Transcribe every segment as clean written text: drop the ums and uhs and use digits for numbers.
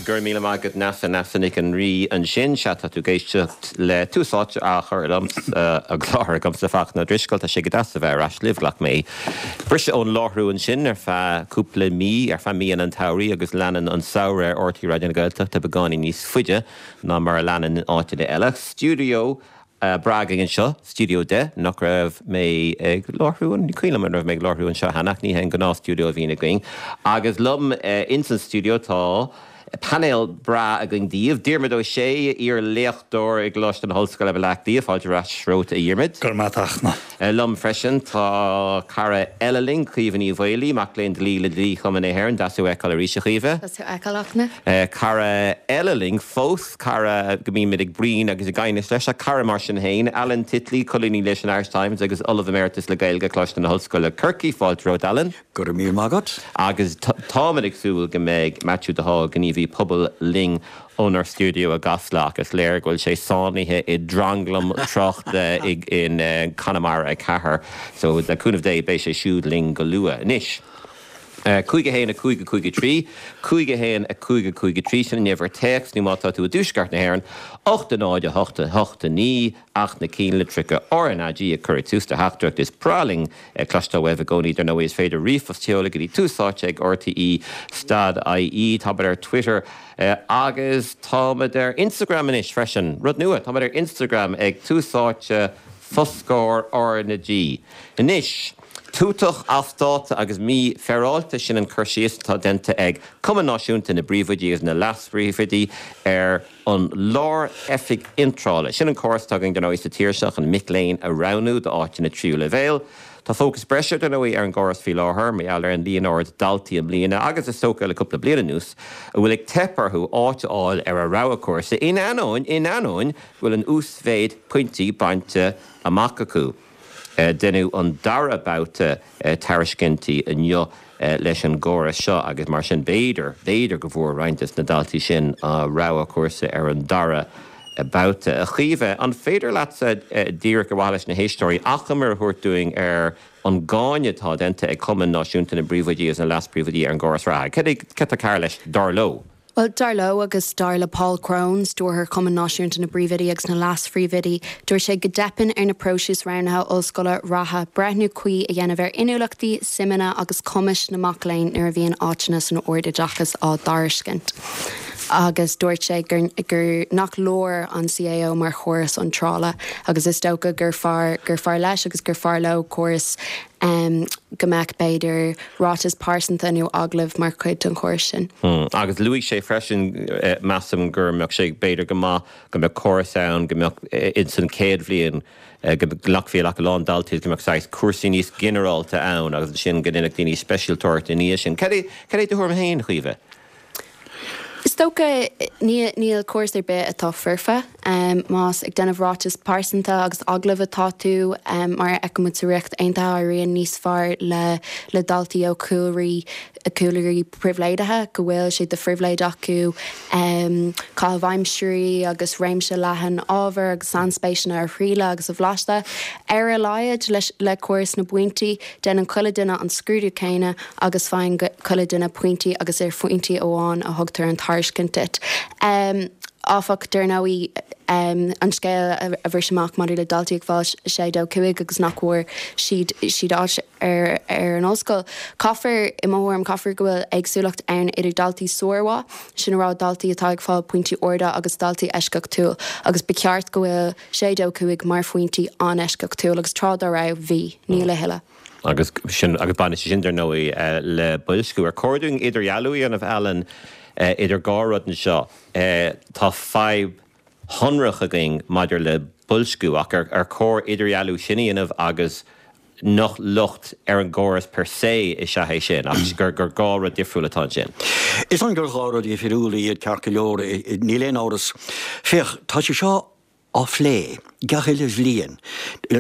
Go raibh míle maith agat Neasa, Neasa Nic an Rí ansin. Sea, tá tú ag éisteacht le Tús Áite á chur i láthair agamsa Fachtna Ó Drisceoil. Tá sé go deas a bheith ar ais libh. Ghlac mé briseadh ón láithriú ansin ar feadh cúpla mí, ar feadh míonna an tsamhraidh agus leanann an samhradh ar RTÉ Raidió na Gaeltachta beagáinín níos faide ná mar a leanann in áiteanna eile. Stiúideo breá againn anseo, Stiúideo 10, nach raibh mé ag láithriú, ní cuimhin liom an raibh mé ag láithriú anseo cheana ach ní hé an gnáth-stiúideo a bhíonn againn. Agus liom ins an stiúideo tá painéal breá againn daoibh, Diarmuid Ó Sé, iar-léachtóir i gColáiste na hOllscoile Baile Átha Cliath, fáilte ar ais romhat a Dhiarmuid. Go raibh maith agat a Fhachtna. Liom freisin tá cara eile linn, Caoimhe Ní Mhaolaí, mac léinn dlí le Dlí-Chumann na hÉireann. Deas thú a fheiceáil arís, a Chaoimhe. Deas thú a fheiceáil, a Fhachtna. Cara eile linn fós, cara go mbímid ag bruíon agus ag aighneas leis, ach cara mar sin féin, Alan Titley, colúnaí leis an Irish Times agus Ollamh Emeritus le Gaeilge, Coláiste na hOllscoile, Corcaigh. Fáilte romhat, Alan. Go raibh míle maith agat. Agus táimid ag súil go mbeidh Maitiú de hÁl, gníomhaí pobail, linn ónár stiúideo i gCasla ach is léir go bhfuil sé sáinnithe i dtranglam tráchta i gConamara 4 so le cúnamh Dé beidh sé siúd linn go luath. Anois, 5 1 5 5 3, 5 1 5 5 3, sin an uimhir téacs nó má tá tú i dtuaisceart na hÉireann, 8 0 8 8 9, Acht na cinn litreacha RnaG ag cur ag tús do theachtaireacht. Is breá linn cloisteáil uaibh i gcónaí. Dar ndóigh is féidir ríomhphost a sheoladh go dtí tús áite ag rte stad ie. Táimid ar Twitter agus táimid ar Instagram anois freisin. Rud nua, táimid ar Instagram ag tús áite foscór RnaG. Anois, tútach, as dáta agus mífhéaráilte, sin an cur síos atá déanta ag Cumann Náisiúnta na bPríomhoidí agus na Leas-Phríomhoidí ar an Lár-Oifig Iontrála. Sin an córas atá againn, dar ndóigh, sa tír seo chun mic léinn a roghnú d'áiteanna tríú leibhéal. Tá fócas breise, dar ndóigh, ar an gcóras faoi láthair mar gheall ar an líon ard daltaí i mbliana agus is dócha le cúpla bliain anuas a bhfuil ag teip orthu áit a fháil ar a rogha cúrsa in ainneoin, in ainneoin go bhfuil an uasmhéid pointí bainte amach acu. Deineadh an dara babhta tairiscintí inniu leis an gcóras seo agus mar sin b'fhéidir, b'fhéidir go bhfuair roinnt des na daltaí sin a rogha cúrsa ar an dara babhta. A Chaoimhe, an féidir leatsa, díreach ar mhaithe leis na héisteoirí, achoimre a thabhairt dúinn ar an gcáineadh atá déanta ag Cumann Náisiúnta na bPríomhoidí agus na Leas-Phríomhoidí ar an gcóras reatha? Cad é, cad tá cearr leis, dar leo? Bhuel, dar leo agus dar le Paul Crone, Stiúrthóir Chumann Náisiúnta na bPríomhoidí agus na Leas-Phríomhoidí, dúirt sé go dteipeann ar na próisis roghnaithe ollscoile reatha breithniú cuí a dhéanamh ar inniúlachtaí, suimeanna agus cumais na mac léinn nuair a bhíonn áiteanna san ardoideachas á dtairiscint. Agus dúirt sé gur gur nach leor an CAO mar chóras iontrála agus is dócha gur fearr gur fearr leis agus gur fearr leo córas go mbeadh b'fhéidir ráiteas pearsanta nó agallamh mar chuid den chóras sin. Agus luaigh sé freisin, measaim, go mbeadh sé b'fhéidir go maith go mbeadh córas ann go mbeadh ins an chéad bhliain go nglacfaí le a lán daltaí go mbeadh saghas cúrsaí níos ginearálta ann agus ansin go ndéanfadh daoine speisialtóireacht ina dhiaidh sin. Cad é cad é do thuairim féin, a Chaoimhe? Is dócha, níl córas ar bith atá foirfe. Más ag déanamh ráiteas pearsanta agus agallamh atá tú, mar a fheiceann muid sa Ríocht Aontaithe, éiríonn níos fearr le le daltaí ó chúlraí cúlraí pribhléidithe, go bhfuil sé de phribhléid acu caitheamh aimsirí agus réimse leathan ábhar agus sainspéiseanna a thriaileadh agus a bhlaiseadh. Ar a laghad le córas na bpointí, déanann chuile duine an scrúdú céanna agus faigheann chuile duine pointí agus ar phointí amháin a thugtar an tairiscint duit. Áfach, dar ndóigh, an scéal a bhris amach maidir le daltaí ag fáil 6, 2, 5 agus nach bhfuair siad siad áit ar ar an ollscoil. Caithfear, i mo thuairim, caithfear go bhfuil éagsúlacht ann idir daltaí sármhaith, sin a rá daltaí atá ag fáil pointí arda agus daltaí eisceachtúil agus ba cheart go bhfuil 6, 2, 5 mar phointí an-eisceachtúil agus tráth dá raibh, bhí. Níl a thuilleadh. Agus sin, agus baineann sé sin, dar ndóigh, le boilsciú. Ar chóir dúinn idirdhealú a dhéanamh, Alan, idir dhá rud anseo? Tá fadhb shonrach againn maidir le boilsciú, ach ar chóir idirdhealú sin a dhéanamh agus nach locht ar an gcóras per se is ea é sin, ach gur dhá rud difriúil atá ansin? Is dóigh gur dhá rud dhifriúla iad, ceart go leor, níl aon amhras. Féach, tá sé seo á phlé gach uile bhliain,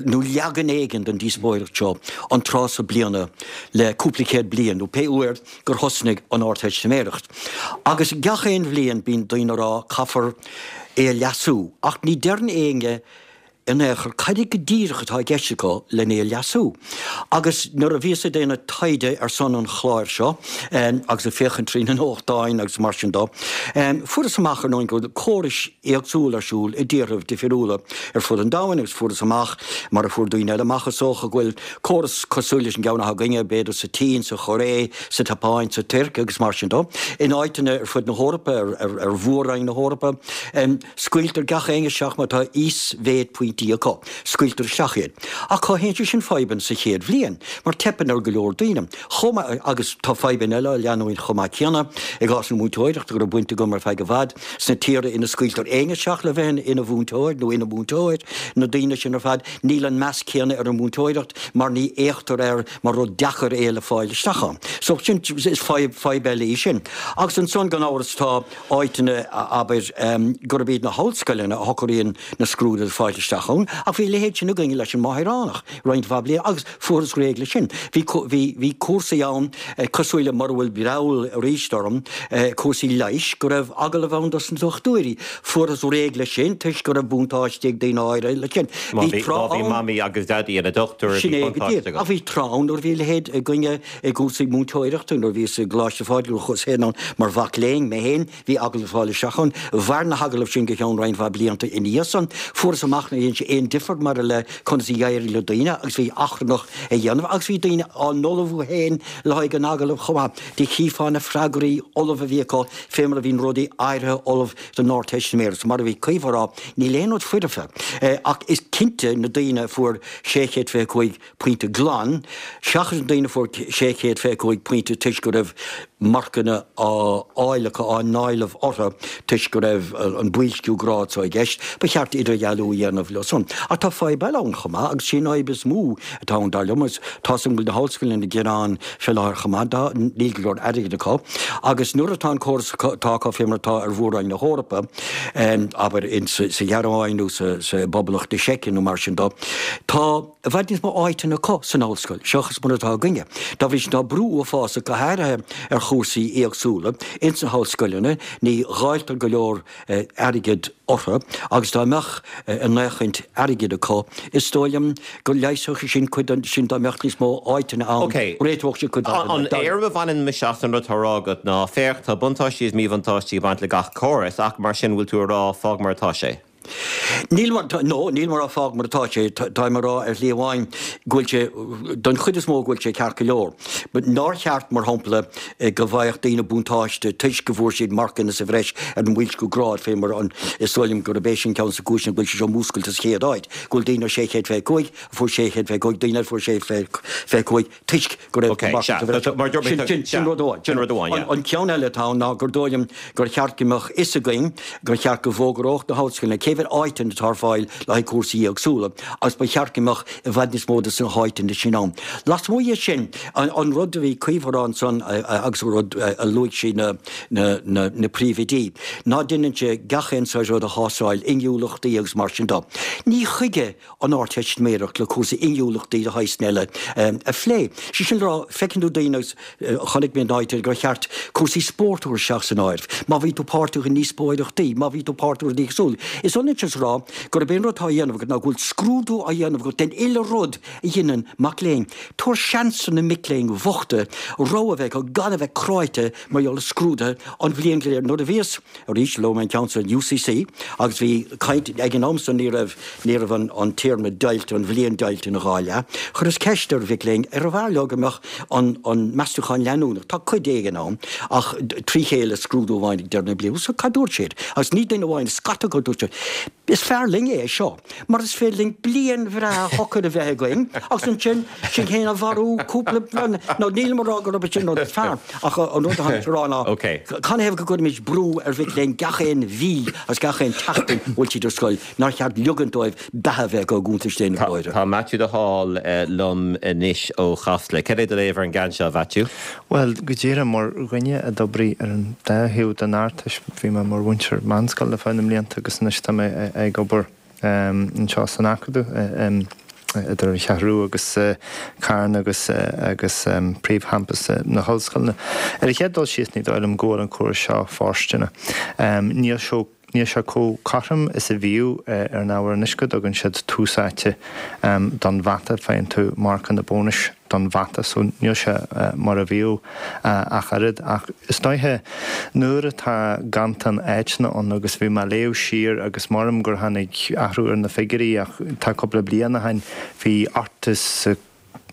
nó leagan éigin den díospóireacht seo, an tráth so bliana le cúpla céad bliain, nó pé uair gur thosnaigh an Ardteistiméireacht. Agus gach aon bhliain bíonn daoine ag rá caithfear é a leasú, ach ní deireann éinne. in aon chor cad é go díreach atá i gceist acu len é a leasú. Agus nuair a bhíos ag déanamh taighde ar son an chláir seo, agus ag féachaint trí na nuachtáin agus mar sin dó, fuaireas amach ar ndóigh go bhfuil córais éagsúla ar siúl i dtíorthaibh difiriúla ar fud an domhain agus fuaireas amach, mar a fuair daoine eile amach is dócha, go bhfuil córas cosúil leis an gceann atá againne, b'fhéidir sa tSín, sa Chóiré, sa tSeapáin, sa Tuirc agus mar sin dó, in áiteanna ar fud na hEorpa, ar mhór-roinn na hEorpa. Scaoiltear gach éinne isteach má tá íosmhéid pointí acu. Scaoiltear isteach iad. Ach cothaíonn sé sin fadhbanna sa chéad bhliain, mar teipeann ar go leor daoine. Chomh maith, agus tá fadhbanna eile á leanúint chomh maith céanna, i gcás na múinteoireachta, go raibh baint agam ar feadh i bhfad, sna tíortha ina scaoiltear éinne isteach le bheith ina mhúinteoir nó ina múinteoir, na daoine sin ar fad, níl an meas céanna ar an mhúinteoireacht mar ní fhéachtar air mar rud deacair é le fáil isteach ann. So sin, is fadhb, fadhb eile í sin. Agus ansan, gan amhras, tá. áiteanna, abair, gurb iad na hollscoileanna a shocraíonn na scrúduithe le fáilt isteach ann, ach bhí a leithéid sin againne leis an Máithreánach roinnt mhaith bliain agus fuarthas réidh leis sin. Bhí, bhí, bhí cúrsaí ann cosúil le, mura bhfuil breall arís orm, cúrsaí leighis, go raibh agallamh ann dos na dochtúirí. Fuarthas réidh leis sin toisc go raibh buntáiste ag daoine áirithe leis sin. Má bhí, má bhí mamaí agus daidí ina dochtúir, bhí buntáiste agat. Ach bhí tráth ann nuair a bhí a leithéid againne I gcúrsaí múinteoireachta, nuair a bhíos i gColáiste Phádraig, nuair a chuas féin ann mar mhac léinn, mé féin, bhí agallamh le fáil isteach ann. Mhair na hagallaimh sin go ceann roinnt mhaith blianta ina dhiaidh san. Fuarthas amach nár dhein sé aon difear maidir le conas a d'éirigh le daoine agus bhí achrannach á dhéanamh agus bhí daoine á n-ullmhú féin le haghaidh an agallaimh chomh maith. Do chífeá na freagraí ullamh a bhí acu fé mar a bhíonn rudaí áirithe ullamh don Ardteistiméireacht. Mar a bhí Caoimhe a rá, níl aon rud foirfe ach is cinnte na daoine a fuair 625 pointe glan, seachas na daoine a fuair 625 pointe toisc go raibh marcanna á fháil acu, á n-éileamh orthu toisc go raibh an boilsciú grád so i gceist, ba cheart idirdhealú a dhéanamh leo san. Ach tá fadhb eile ann chomh maith, agus sí an fhadhb is mó atá ann, dar liom, agus tá's agam go bhfuil na hollscoileanna ag gearán fé láthair chomh maith, dá, níl go leor airgid acu, agus nuair atá an córas atá acu fé mar atá ar Mhór-Roinn na hEorpa, abair, sa Ghearmáin nó sa, sa bPoblacht na Seice nó mar sin dó, tá. i bhfad níos mó áiteanna acu san ollscoil seachas mar atá againne. Dá bhrí sin tá brú uafásach, go háirithe ar chúrsaí éagsúla, ins na hollscoileanna, ní dháiltear go leor airgid orthu agus dá mbeadh a ndóthain airgid acu, is dóigh liom go leigheasfadh sé sin cuid den, sin dá mbeadh níos mó áiteanna ann, réiteodh sé cuid mhaith den. An éirim a bhaineann mise as an rud atá á rá agat ná, féach, tá buntáistí is míbhuntáistí ag baint le gach córas, ach mar sin, bhfuil tú a rá, fág mar atá sé? Níl mar, no, níl mé ag rá fág mar atá sé, táim ag rá ar shlí amháin go bhfuil sé, don chuid is mó go bhfuil sé ceart go leor. But nár cheart, mar shampla, go bhfaigheadh daoine buntáiste toisc go bhfuair siad marcanna sa bhreis ar an mboilsciú grád fé mar an, is dóigh liom gurb é sin ceann de na cúiseanna go bhfuil sé seo múscailte sa chéad áit, go bhfuil daoine ar 625 a fuair 625, daoine eile a fuair 625 toisc go raibh Ok, sea, so, so, mar dúirt mé, Sin, sin, sin rud amháin. Sin rud amháin, yeah. An ceann eile atá ann ná gur dóigh liom gur cheart go mbeadh fhios againn gur cheart go bhfógródh na hollscoileanna cé mhéad áiteanna atá ar fáil le haghaidh cúrsaí éagsúla agus ba cheart go mbeadh i bhfad níos mó de na háiteanna sin ann. Lasmuigh dhe sin, an, an rud a bhí Caoimhe a rá ansan agus an rud a luaigh sí na, na, na, na príomhoidí, ná deineann sé gach aon saghas rud a thástáil, inniúlachtaí agus mar sin de. Ní chuige an Ardteistiméireacht le cúrsaí inniúlachtaí de shaghas eile a phlé. Sé sin le rá, feiceann tú daoine agus chonaic mé in áit gur cheart cúrsaí spóirt a chur isteach san áireamh, má bhí tú páirteach i ndíospóireachtaí, má bhí tú páirteach i rudaí éagsúla. Is ionann sin is a rá gurb é an rud atá á dhéanamh agat ná go bhfuil scrúdú á dhéanamh agat den uile rud a dheineann mac léinn. Tabhair seans do na mic léinn bhochta rogha a bheith acu gan a bheith cráite mar gheall ar scrúduithe an bhliain go léir. Nuair a bhíos, arís, luaigh mé an ceann san UCC agus bhí caint ag an am san ní raibh, ní raibh an, an téarma deighilte, an bhliain deighilte ina dhá leath. Chuireas ceist ar mhic léinn arbh fhearr leo go mbeadh an, an meastúchán leanúnach, tá cuid éigin ann, ach trí chéile scrúdú amháin ag deireadh na bliana. So cad dúirt siad? Agus ní duine amháin, scata acu dúirt siad, Is fearr linn é seo, mar is féidir linn bliain bhreá shocair a bheith againn agus ansin sinn féin a mharú cúpla bliain. Nó nílim ag rá gurb é sin an rud is fearr, ach an rud atá mé ag rá ná canathaobh go gcuirimid brú ar mhic léinn gach aon mhí agus gach aon tseachtain a bhfuil siad ar scoil, nár cheart ligean dóibh beatha a bheith acu i gcuntais Dé na glóire. Tá Maitiú de Hál liom anois ó Chasla. Cad é do léamh ar an gceann seo, a Mhaitiú? Bhuel, go díreach, mar dhuine a d'oibrigh ar an dá thaobh den Ardteist, bhí mé mar mhúinteoir meánscoile ar feadh na mblianta agus anois tá mé ag obair anseo san Acadamh, idir an Cheathrú Rua agus Carna agus agus príomhchampas na hollscoile. Ar an chéad dul síos, ní dóigh liom go bhfuil an córas seo fóirsteanach. Níl sé. Níl sé chomh cothrom is a bhíodh ar an ábhar anois go dtugann siad tús áite don mhata, faigheann tú marcanna bónais don mhata so níl sé mar a bhíodh ach oiread. Ach is dóiche nuair atá ganntan áiteanna ann agus bhí mé ag léamh siar agus maram gur tháinig athrú ar na figiúirí ach tá cúpla bliain ó shin bhí 83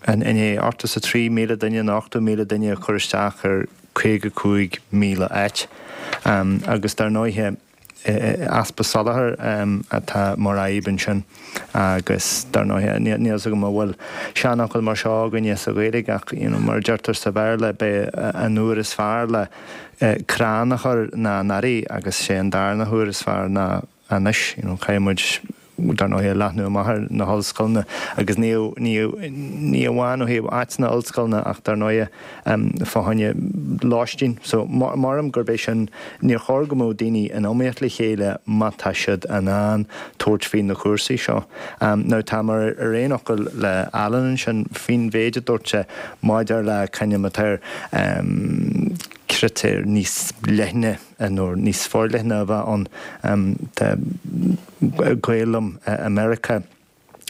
183,000 duine nó 80,000 duine ag cur isteach ar 55,000 áit agus dar ndóighe easpa soláthair atá mar fhadhb ansin agus dar ndóighe níl fhios agam an bhfuil seanfhocal mar seo againne sa Ghaeilge ach you know mar a deirtear sa Bhéarla b'é an uair is fearr le crann a chur ná anuraidh agus sé an darna huair is fearr ná anois. You know caithfidh muid dar ndóighe leathnú amach ar na hollscoileanna agus ní ní ní amháin ó thaobh áiteanna ollscoileanna ach dar ndóighe fá choinne lóistín. So maram gurb é sin níor chóir go mbeadh daoine in iomaíocht le chéile má tá siad in ann tabhairt faoi na cúrsaí seo. Now tá mé ar aon fhocal le Alan ansin faoin mhéid a dúirt sé maidir le c'ainm atá air critéir níos leithne nó níos forleithne a bheith ann. Tá gaol liom i Meiriceá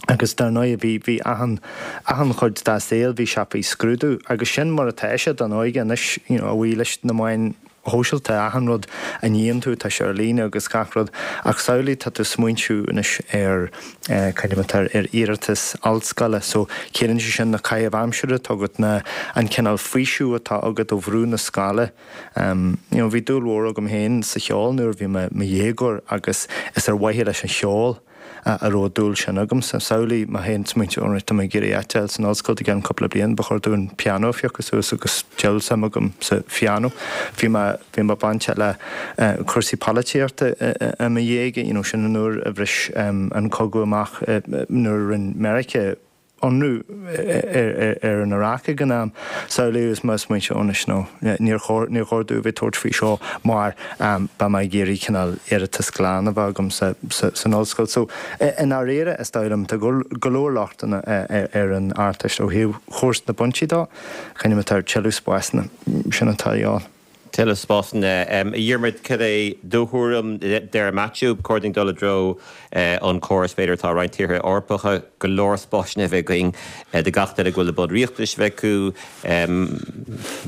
agus dar ndóigh bhí, bhí achan, achan chuid dá saol bhí sé faoi scrúdú agus sin mar atá sé don óige anois you know a bhuí leis na meáin shóisialta, achan rud a níonn tú tá sé ar líne agus gach rud ach samhlaigh tá tú smaointiú anois ar c'ainm atá air, ar iarratas ollscoile so ciallaíonn sé sin na caithimh aimsire atá agat, na, an cineál faoiseamh atá agat ó bhrú na scoile. You know, bhí dúil mhór agam féin sa cheol nuair a bhí mé i mo dhéagóir agus is ar mhaithe leis an cheol a raibh an dúil sin agamsa. Samhlaigh mé féin smaointiú, alright, tá mé ag iarraidh áit a fháil san ollscoil i gceann cúpla bliain, ba chóir dom an pianó a phiocadh suas agus diabhal suim agam sa phianó. Bhí mé, bhí mé bainteach le cúrsaí polaitíochta i mo dhéaga, you know, sin an uair a bhris an cogadh amach nuair a rinne Meiriceá ionradh ar an Iaráic ag an am. Samhlaigh agus mé ag smaointiú anois nó níor chóir, níor chóir domh a bheith ag tabhairt faoi seo mar beidh mé ag iarraidh cineál iarratas glan a bheith agam san ollscoil. So, i ndáiríre, is dóigh liom, tá go leor lochtanna ar an Ardteist ó thaobh chúrsa na bpointí dó. C'ainm atá air, tuilleadh spásanna, sin atá a dhíobháil. Tuilleadh spásanna. A Dhiarmuid, cad é do thuairim? Deir Matthew, ba chóir dúinn dul i dtreo an córas b'fhéidir atá i roinnt tíortha Eorpacha, go leor spásanna a bheith againn do gach duine go bhfuil na bunriachtanais a bheith acu.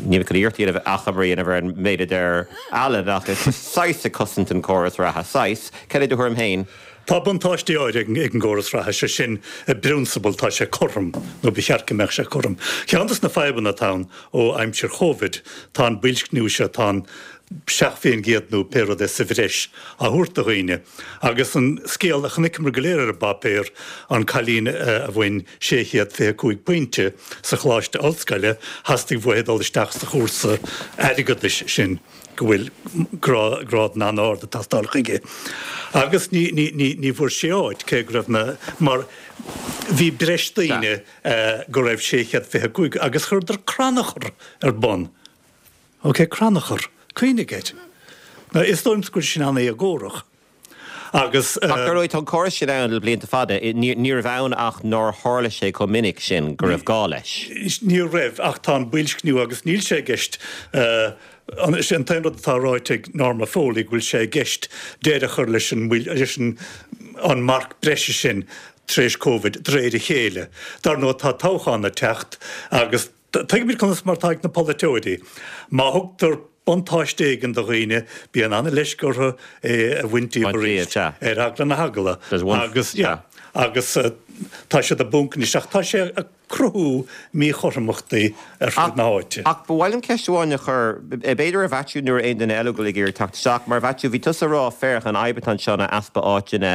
Níl mé chun iarracht a dhéanamh achoimre a dhéanamh ar an méid a deir Alan ach is saghas ag cosaint an córas reatha. Saghas. Cad é do thuairim féin? Tá buntáistí áirithe ag an gcóras reatha, sé sin, i bprionsabal tá sé cothrom, nó ba cheart go mbeadh sé cothrom. Ceann de na fadhbanna atá ann ó aimsir Chóivid, tá an boilscniú seo, tá an 7% nó pé rud é sa bhreis á thabhairt do dhaoine. Agus an scéal a chonaiceamar go léir ar an bpáipéar, an cailín a bhain 625 pointe sa choláiste ollscoile, theastaigh uaithi dul isteach sa chúrsa airgeadais sin. go bhfuil grád an-ard ag teastáil chuige. Agus ní, ní, ní, ní bhfuair sí áit, cé go raibh na, mar bhí breis daoine go raibh 625 agus chuireadar crannchur ar bun. Ok, crannchur. Cuimhnigh air. Now, is dóigh liom go bhfuil sin an-éagórach. Agus. Ach dar ndóigh, tá an córas sin ann le blianta fada. Ní raibh ann ach nár tharla sé chomh minic sin go raibh gá leis. Ní raibh, ach tá an boilscniú agus níl sé i gceist, is é an t-aon rud atá ráite ag Norma Foley go bhfuil sé i gceist deireadh a chur leis an leis an marc breise sin tar éis Covid de réir a chéile. Dar ndóigh tá toghchán ag teacht agus Tuigimid conas mar atá ag na polaiteoirí. Má thugtar buntáiste éigin do dhaoine, bíonn an-leisce orthu é a bhaint díobh arís, ar eagla na heagla. Agus, yeah, agus tá siad i bponc anois. Ach tá sé ag cruthú míchothromachtaí ar fud na háite. Ach ba mhaith liom ceist amháin a chur, b'fhéidir ar Mhaitiú nó ar aon duine eile a bhfuil ag iarraidh teacht isteach. Mar Mhaitiú, bhí tusa ag rá, féach, an fhadhb atá anseo ná easpa áiteanna,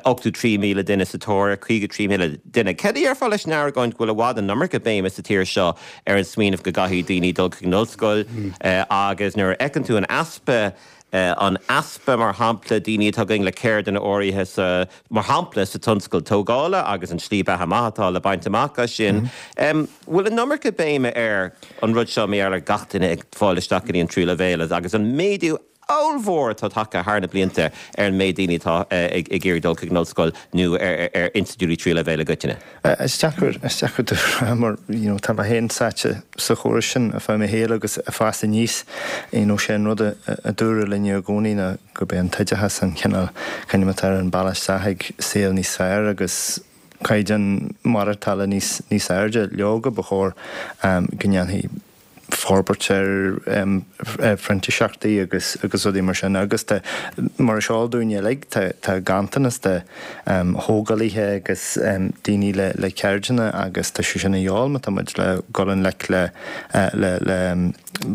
83,000 duine sa tóir ar 53,000 duine. Céard a dhéarfá leis an argóint go bhfuil i bhfad an iomarca béime sa tír seo ar an smaoineamh go gcaithfidh daoine dul chuig an ollscoil agus nuair a fheiceann tú an easpa, an easpa, mar shampla, daoine atá againn le ceirdeanna áirithe sa, mar shampla, sa tionscal tógála agus an slí beatha maith atá le baint amach as sin, bhfuil an iomarca béime ar an rud seo mar gheall ar gach duine ag fáil isteach go dtí an tríú leibhéal agus an méadú. ollmhór atá tagtha thar na blianta ar an méid daoine atá ag iarraidh dul chuig an ollscoil nó ar institiúidí tríú leibhéal i gcoitinne. Is deacair, is deacair do rá mar you know tá mé féin sáite sa chóras sin ar feadh mo shaoil agus ag fás aníos you know sé an rud a a dúradh linne i gcónaí ná gurb é an t-oideachas an cineál coinníoll atá ar an bealach isteach ag saol níos fearr agus caighdeán maireachtála níos níos airde. Leoga ba chóir go ndéanfaí forbairt ar phrintíseachtaí agus agus rudaí mar sin agus tá, mar is eol dúinn uilig, tá tá ganntanas de thógálaithe agus daoine le le ceirdeanna agus tá sé sin a dhíobháil má tá muid le dul i ngleic le le le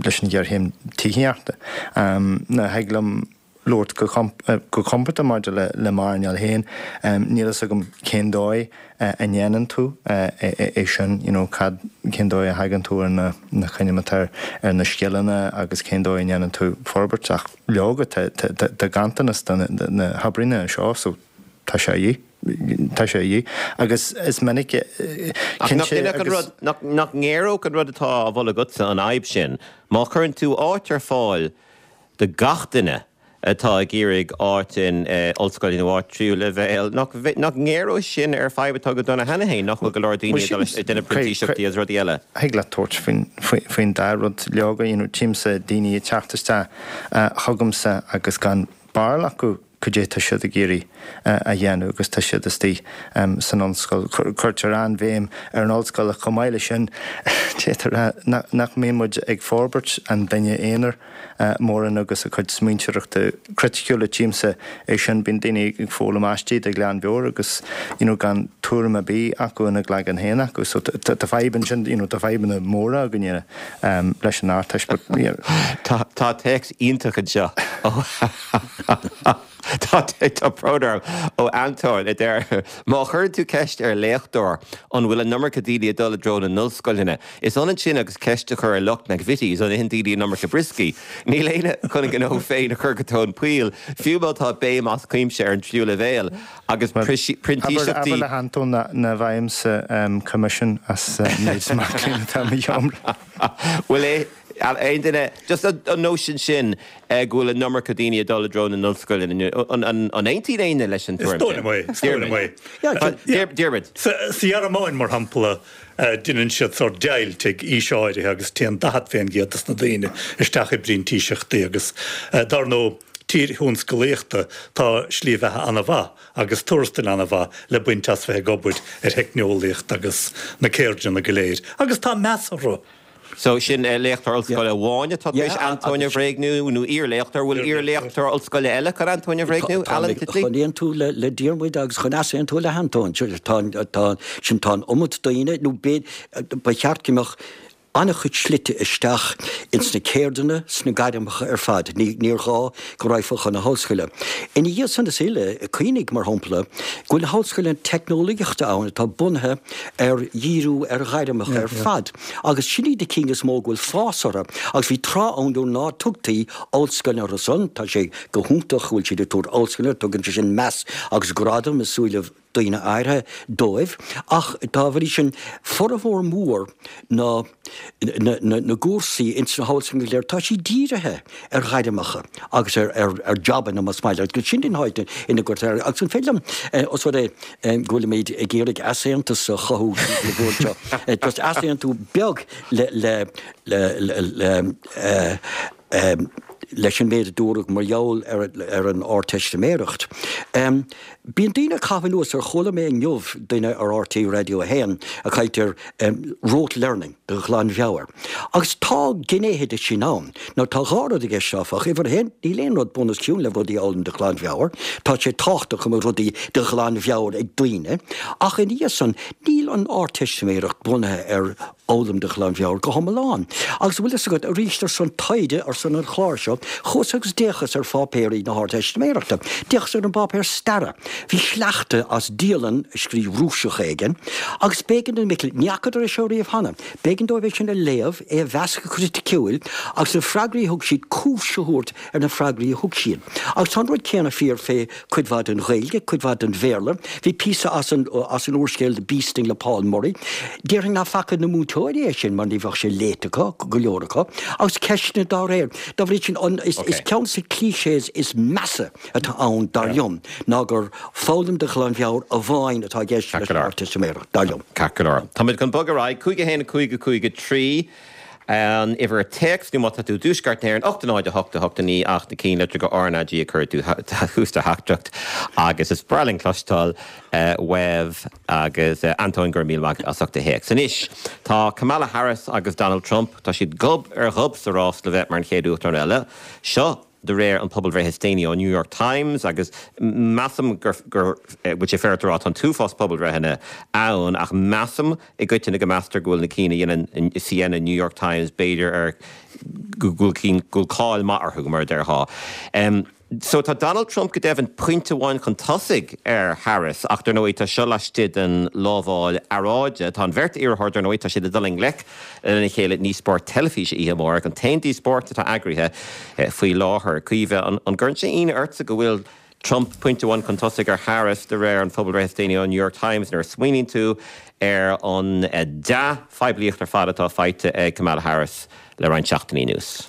leis an ghéarchéim tithíochta. Now thig liom labhairt go compordach maidir le m'earnáil féin. Níl fhios agam cén dóigh a ndéanann tú é sin, you know, cad, cén dóigh a thagann tú ar na, na coinníollacha ar na scileanna agus cén dóigh a ndéanann tú forbairt ach leoga tá, tá, tá ganntanas de na hoibrithe seo so tá sé a dhíth. Tá sé a dhíth agus is minic Ach nach cinnte an rud, nach, nach ngéaródh an rud atá á mholadh agatsa an fhadhb sin? Má chuireann tú áit ar fáil do gach duine atá ag iarraidh áit in ollscoil nó áit tríú leibhéal, nach ngéaróidh sin ar fadhb atá go dona cheana féin, nach bhfuil go leor daoine ag dul ag déanamh printíseachtaí agus rudaí eile? Thig leat tabhairt faoin dá rud, leoga, you know, tchímse daoine ag teacht isteach chugamsa agus gan barúil acu cad é tá siad ag iarraidh a dhéanamh agus tá siad istigh san ollscoil. Cuirtear an-bhéim ar an ollscoil ach chomh maith leis sin, d'fhéadfá a rá nach mbíonn muid ag forbairt an duine aonair mórán agus a cuid smaointeoireachta criticiúla. Tchímse é sin, bíonn daoine ag foghlaim aistí de ghlanmheabhair agus you know gan tuairim ar bith acu ina gcloigeann féin acu. So tá fadhb ansin, you know tá fadhbanna móra againne leis an Ardteist but yeah. Tá téacs iontach anseo ó. Tá tá brón orm ó Antóin a deir, Má chuireann tú ceist ar léachtóir an bhfuil an iomarca daoine ag dul i dtreo na n-ollscoileanna, is ionann sin agus ceist a chur ar lucht McVitie's an itheann daoine an iomarca brioscaí. Níl éinne chun a ngnó féin a chur go tóin poill, fiú má tá béim as cuimse ar an tríú leibhéal agus printíseachtaí. Abair le hAntóin nach bhfaighimse coimisiún as méid mac léinn atá i mo sheomra. Bhfuil aon duine, just an nóisean sin go bhfuil an iomarca daoine ag dul i dtreo na n-ollscoileanna, an aontaíonn éinne leis an tuairim sin? Is dóigh liom é, is dóigh liom é. Diarmuid. Sa Ghearmáin, mar shampla, deineann siad sórt deighilt ag aois áirithe agus téann 40% des na daoine isteach i bprintíseachtaí agus, dar ndóigh, tír thionscalaíochta, tá slí bheatha an-mhaith agus tuarastail an-mhaith le baint as bheith ag obair ar theicneolaíocht agus na ceirdeanna go léir agus tá meas orthu. So, sin léachtóir ollscoile amháin atá tar éis Antóin a bhréagnú, nó iar-léachtóir. Bhfuil iar-léachtóir ollscoile eile chun Antóin a bhréagnú? Alan Titley? Chun aontú le Diarmuid agus chun easaontú le hAntóin. Tá, tá, sin, tá an iomad daoine, nó ba cheart go mbeadh an-chuid slite isteach ins na ceirdeanna, sna gairmeacha ar fad. Ní, níor ghá go raghfá chun na hollscoile. Ina dhiaidh san is uile, cuimhnigh, mar shampla, go bhfuil na hollscoileanna teicneolaíochta ann atá bunaithe ar dhíriú ar ghairmeacha ar fad. Agus sin iad na cinn is mó go bhfuil fás orthu. Agus bhí tráth ann nuair ná tugtaí ollscoileanna orthu san, tá sé go hiontach go bhfuil siad ag tabhairt ollscoileanna, tugann sé sin meas agus gradam i súilibh daoine áirithe dóibh. Ach dá bhrí sin, formhór mór na na gcúrsaí ins na hollscoileanna go léir, tá siad dírithe ar ghairmeacha agus ar ar jabanna más maith leat, agus sin an áit ina gcuirtear agus an féidir liom, os rud é go bhfuilimid ag iarraidh easaontas a chothú sa bhord seo, just easaontú beag le le le le leis an méid a dúradh mar gheall ar ar an Ardteistiméireacht. Bíonn daoine ag caitheamh anuas ar, chuala mé inniu duine ar RTÉ Raidió 1 ag caint ar rote learning, de ghlanmheabhair. Agus tá gnéithe de sin ann. Now tá dhá rud i gceist áfach. Uimhir a haon, níl aon rud bunoscionn le rudaí a fhoghlaim de ghlanmheabhair. Tá sé tábhachtach go mbeadh rudaí de ghlanmheabhair ag daoine. Ach ina dhiaidh san, níl an Ardteistiméireacht bunaithe ar fhoghlaim de ghlanmheabhair go hiomlán. Agus an bhfuil fhios agat, arís ar son taighde, ar son an chláir seo, chuas agus d'fhéachas ar pháipéirí na hArdteistiméireachta. D'fhéachas ar an bpáipéar staire. Bhí sleachta as dialann a scríobh Rúiseach éigin, agus b'éigean do na mic léinn, ní fhacadar é seo riamh cheana, b'éigean dóibh é sin a léamh, é a mheas go criticiúil, agus na freagraí a thug siad, cúis a thabhairt ar na freagraí a thug siad. Agus tá an rud céanna fíor fé cuid mhaith den Ghaeilge, cuid mhaith den Bhéarla. Bhí píosa as an as an úrscéal The Bee Sting le Paul Murray. Déarfainn ná faca na múinteoirí. vótóirí é sin mar ní bheadh sé léite acu, go leor acu, agus ceisteanna dá réir. Dá bhrí sin, is ceann de na clichés is measa atá ann, dar liom, ná gur foghlaim de ghlanmheabhair amháin atá i gceist leis an Ardteistiméireacht, dar liom. Ceart go leor. Táimid chun bogadh ar aghaidh. 5 1 5 5 3 an uimhir téacs nó má tá tú i dTuaisceart na hÉireann, 8 0 8 8 9 ach na cinnlitreacha RnaG a chuir tú tús do theachtaireacht agus is breá linn cloisteáil uaibh agus Antóin go raibh míle maith agat as ucht do théacs. Anois tá Kamala Harris agus Donald Trump, tá siad gob ar ghob sa rás le bheith mar an chéad Uachtarán eile. Seo de réir an pobalbhreith is déanaí ó New York Times agus measaim gur bhfuil sé féaráilte a rá tá an t-uafás pobalbhreitheanna ann ach measaim i gcoitinne go meastar go bhfuil na cinn a dhéanann CNN, New York Times b'fhéidir ar go bhfuil cinn go bhfuil cáil maith orthu mar a déarfá. So tá Donald Trump go deimhin pointe amháin chun tosaigh ar Harris ach dar ndóigh tá seo laistigh den lámháil earráide. Tá an bheirt iarrthóir dar ndóigh tá siad ag dul i ngleic lena chéile i ndíospóireacht teilifíse oíche amárach, an t-aon díospóireacht atá eagraithe faoi láthair. Caoimhe, an gcuireann sé ionadh ortsa go bhfuil Trump pointe amháin chun tosaigh ar Harris de réir an phobalbhreith is déanaí ó New York Times nuair a smaoiníonn tú ar an dea-phoiblíocht ar fad atá faighte ag Kamala Harris le roinnt seachtainí anuas?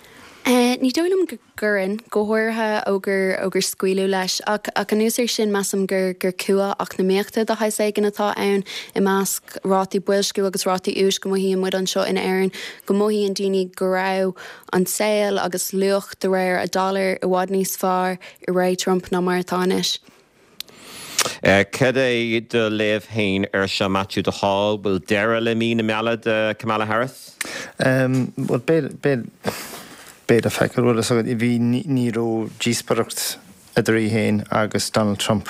Ní dóigh liom go gcuireann, go háirithe ó gur ó gur scaoileadh leis. Ach ach anuas air sin, measaim gur gur cumha eacnamaíochta de shaghas éigin atá ann i measc rátaí boilsciú agus rátaí úis go mothaíonn muid anseo in Éirinn, go mothaíonn daoine go raibh an saol agus luach de réir a dollar i bhfad níos fearr i ré Trump ná mar atá anois. Cad é do léamh féin air seo, Maitiú de Hál? Bhfuil deireadh le mí na meala do Kamala Harris? Bhuel, beidh, beidh, beidh le feiceáil. Bhfuil fhios agat, bhí, ní raibh díospóireacht idir í féin agus Donald Trump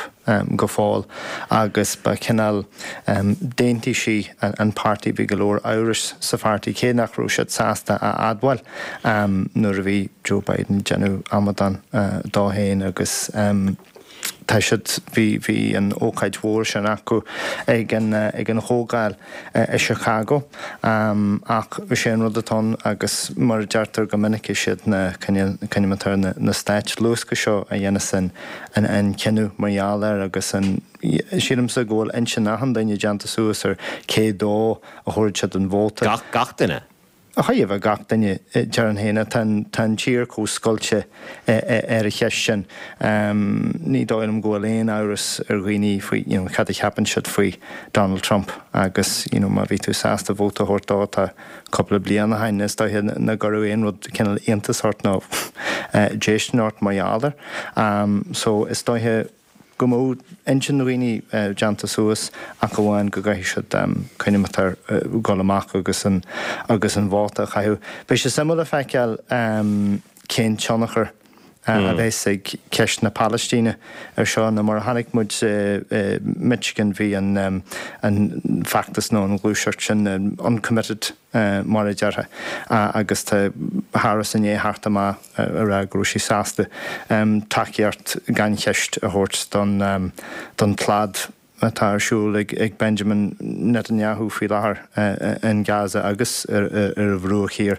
go fóill agus ba chineál, d'aontaigh sí an páirtí, bhí go leor amhrais sa pháirtí, cé nach raibh siad sásta a admháil nuair a bhí Joe Biden ag déanamh amadán dó féin agus. Tá siad, bhí, bhí an ócáid mhór sin acu ag an, ag an chomhdháil i Chicago. Ach is é an rud atá ann agus mar a deirtear go minic is iad na, cineál, na, na stáit luasctha seo a dhéanas an, an, an cinneadh mar gheall air agus an, sílimse go bhfuil intinn achan duine déanta suas ar cé dó a thabharfaidh siad an vóta. Gach, gach duine? Chaithfeadh a bheith gach duine, déarfainn féin. Tá an, tá an tír chomh scoilte ar an cheist sin. Ní dóigh liom go bhfuil aon amhras ar dhaoine faoi, you know, cad a cheapann siad faoi Donald Trump agus, you know, má bhí tú sásta vóta a thabhairt dó tá cúpla bliain ó shin, is dóiche nach gcuirfeadh aon rud cineál iontas ort nó déistin ort mar gheall air. So, is dóiche. go mbeadh intinn dhaoine déanta suas ach amháin go gcaithfidh siad coinneáil ar dhul amach agus an agus an vóta a chaitheamh. Beidh sé suimiúil le feiceáil cén tionchar a bheas ag ceist na Palaistíne ar seo nó mar a chonaic muid i Michigan bhí an an feachtas nó an ghluaiseacht sin uncommitted mar a déarfá, agus tá Harris i ndiaidh theacht amach a rá go raibh sí sásta tacaíocht gan cheist a thabhairt don don tslad atá ar siúl ag Benjamin Netanyahu faoi láthair in Gaza agus ar an Bhruach Thiar.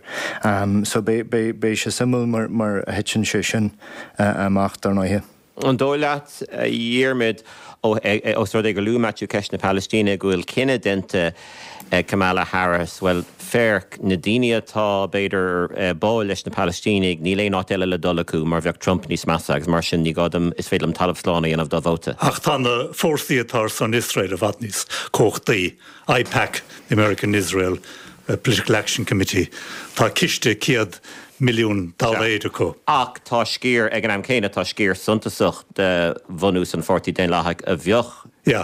So beidh sé suimiúil mar a thiteann sé sin amach dar ndóighe. An dóigh leat, a Dhiarmaid, ós rud é gur luaigh Maitiú ceist na Palaistíne, go bhfuil cinneadh déanta ag Kamala Harris, bhuel, féach, na daoine atá, b'fhéidir, báúil leis na Palaistínigh, níl aon áit eile le dul acu mar bheadh Trump níos measa agus mar sin ní gá dom, is féidir liom talamh slán a dhéanamh dá vóta. Ach tá na fórsaí atá ar son Iosrael i bhfad níos cumhachtaí. AIPAC, the American Israel Political Action Committee, tá ciste 100 milliún dollaeir acu. Ach tá sciar, ag an am céanna, tá sciar suntasach de bhunús an Pháirtí Daonlathaigh a bheadh,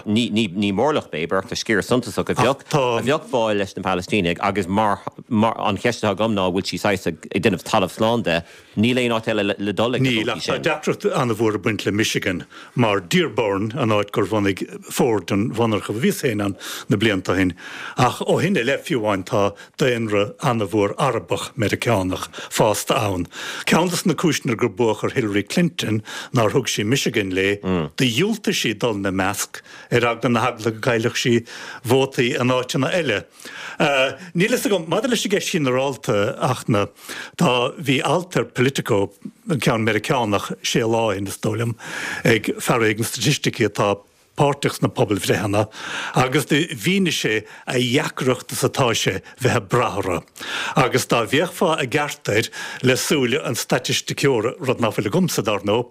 ní, ní, ní mórlach b'fhéidir, ach tá sciar suntasach a bheadh, a bheadh báúil leis na Palaistínigh agus mar, mar, an cheist atá agam ná an bhfuil sí saghas ag, ag déanamh talamh slán de, Níl aon áit eile le dul ag na Níl, ach tá deacracht an-mhór ag baint le Michigan, mar Dearborn, an áit gur bhunaigh Ford an mhonarcha, bhíos féin ann na blianta ó shin, ach ó shin i leith fiú amháin tá daonra an-mhór Arabach Meiriceánach fásta ann. Ceann de na cúiseanna gur buadh ar Hillary Clinton nár thug sí Michigan léi, do dhiúltaigh sí dul ina measc ar eagla na heagla go gcaillfeadh sí vótaí in áiteanna eile. Níl fhios agam, maidir leis an gceist ghinearálta, ach na, tá, bhí alt ar Politico, an ceann Meiriceánach, sé lá ó shin is dóigh liom, ag fear éigin staitisticí atá. páirteach sna pobalbhreitheanna agus do mhínigh sé a dheacracht is atá sé bheith ag brath orthu. Agus dá bhféachfá i gceart air le súile an staitisticeora, rud ná fuil agamsa, dár ndóigh,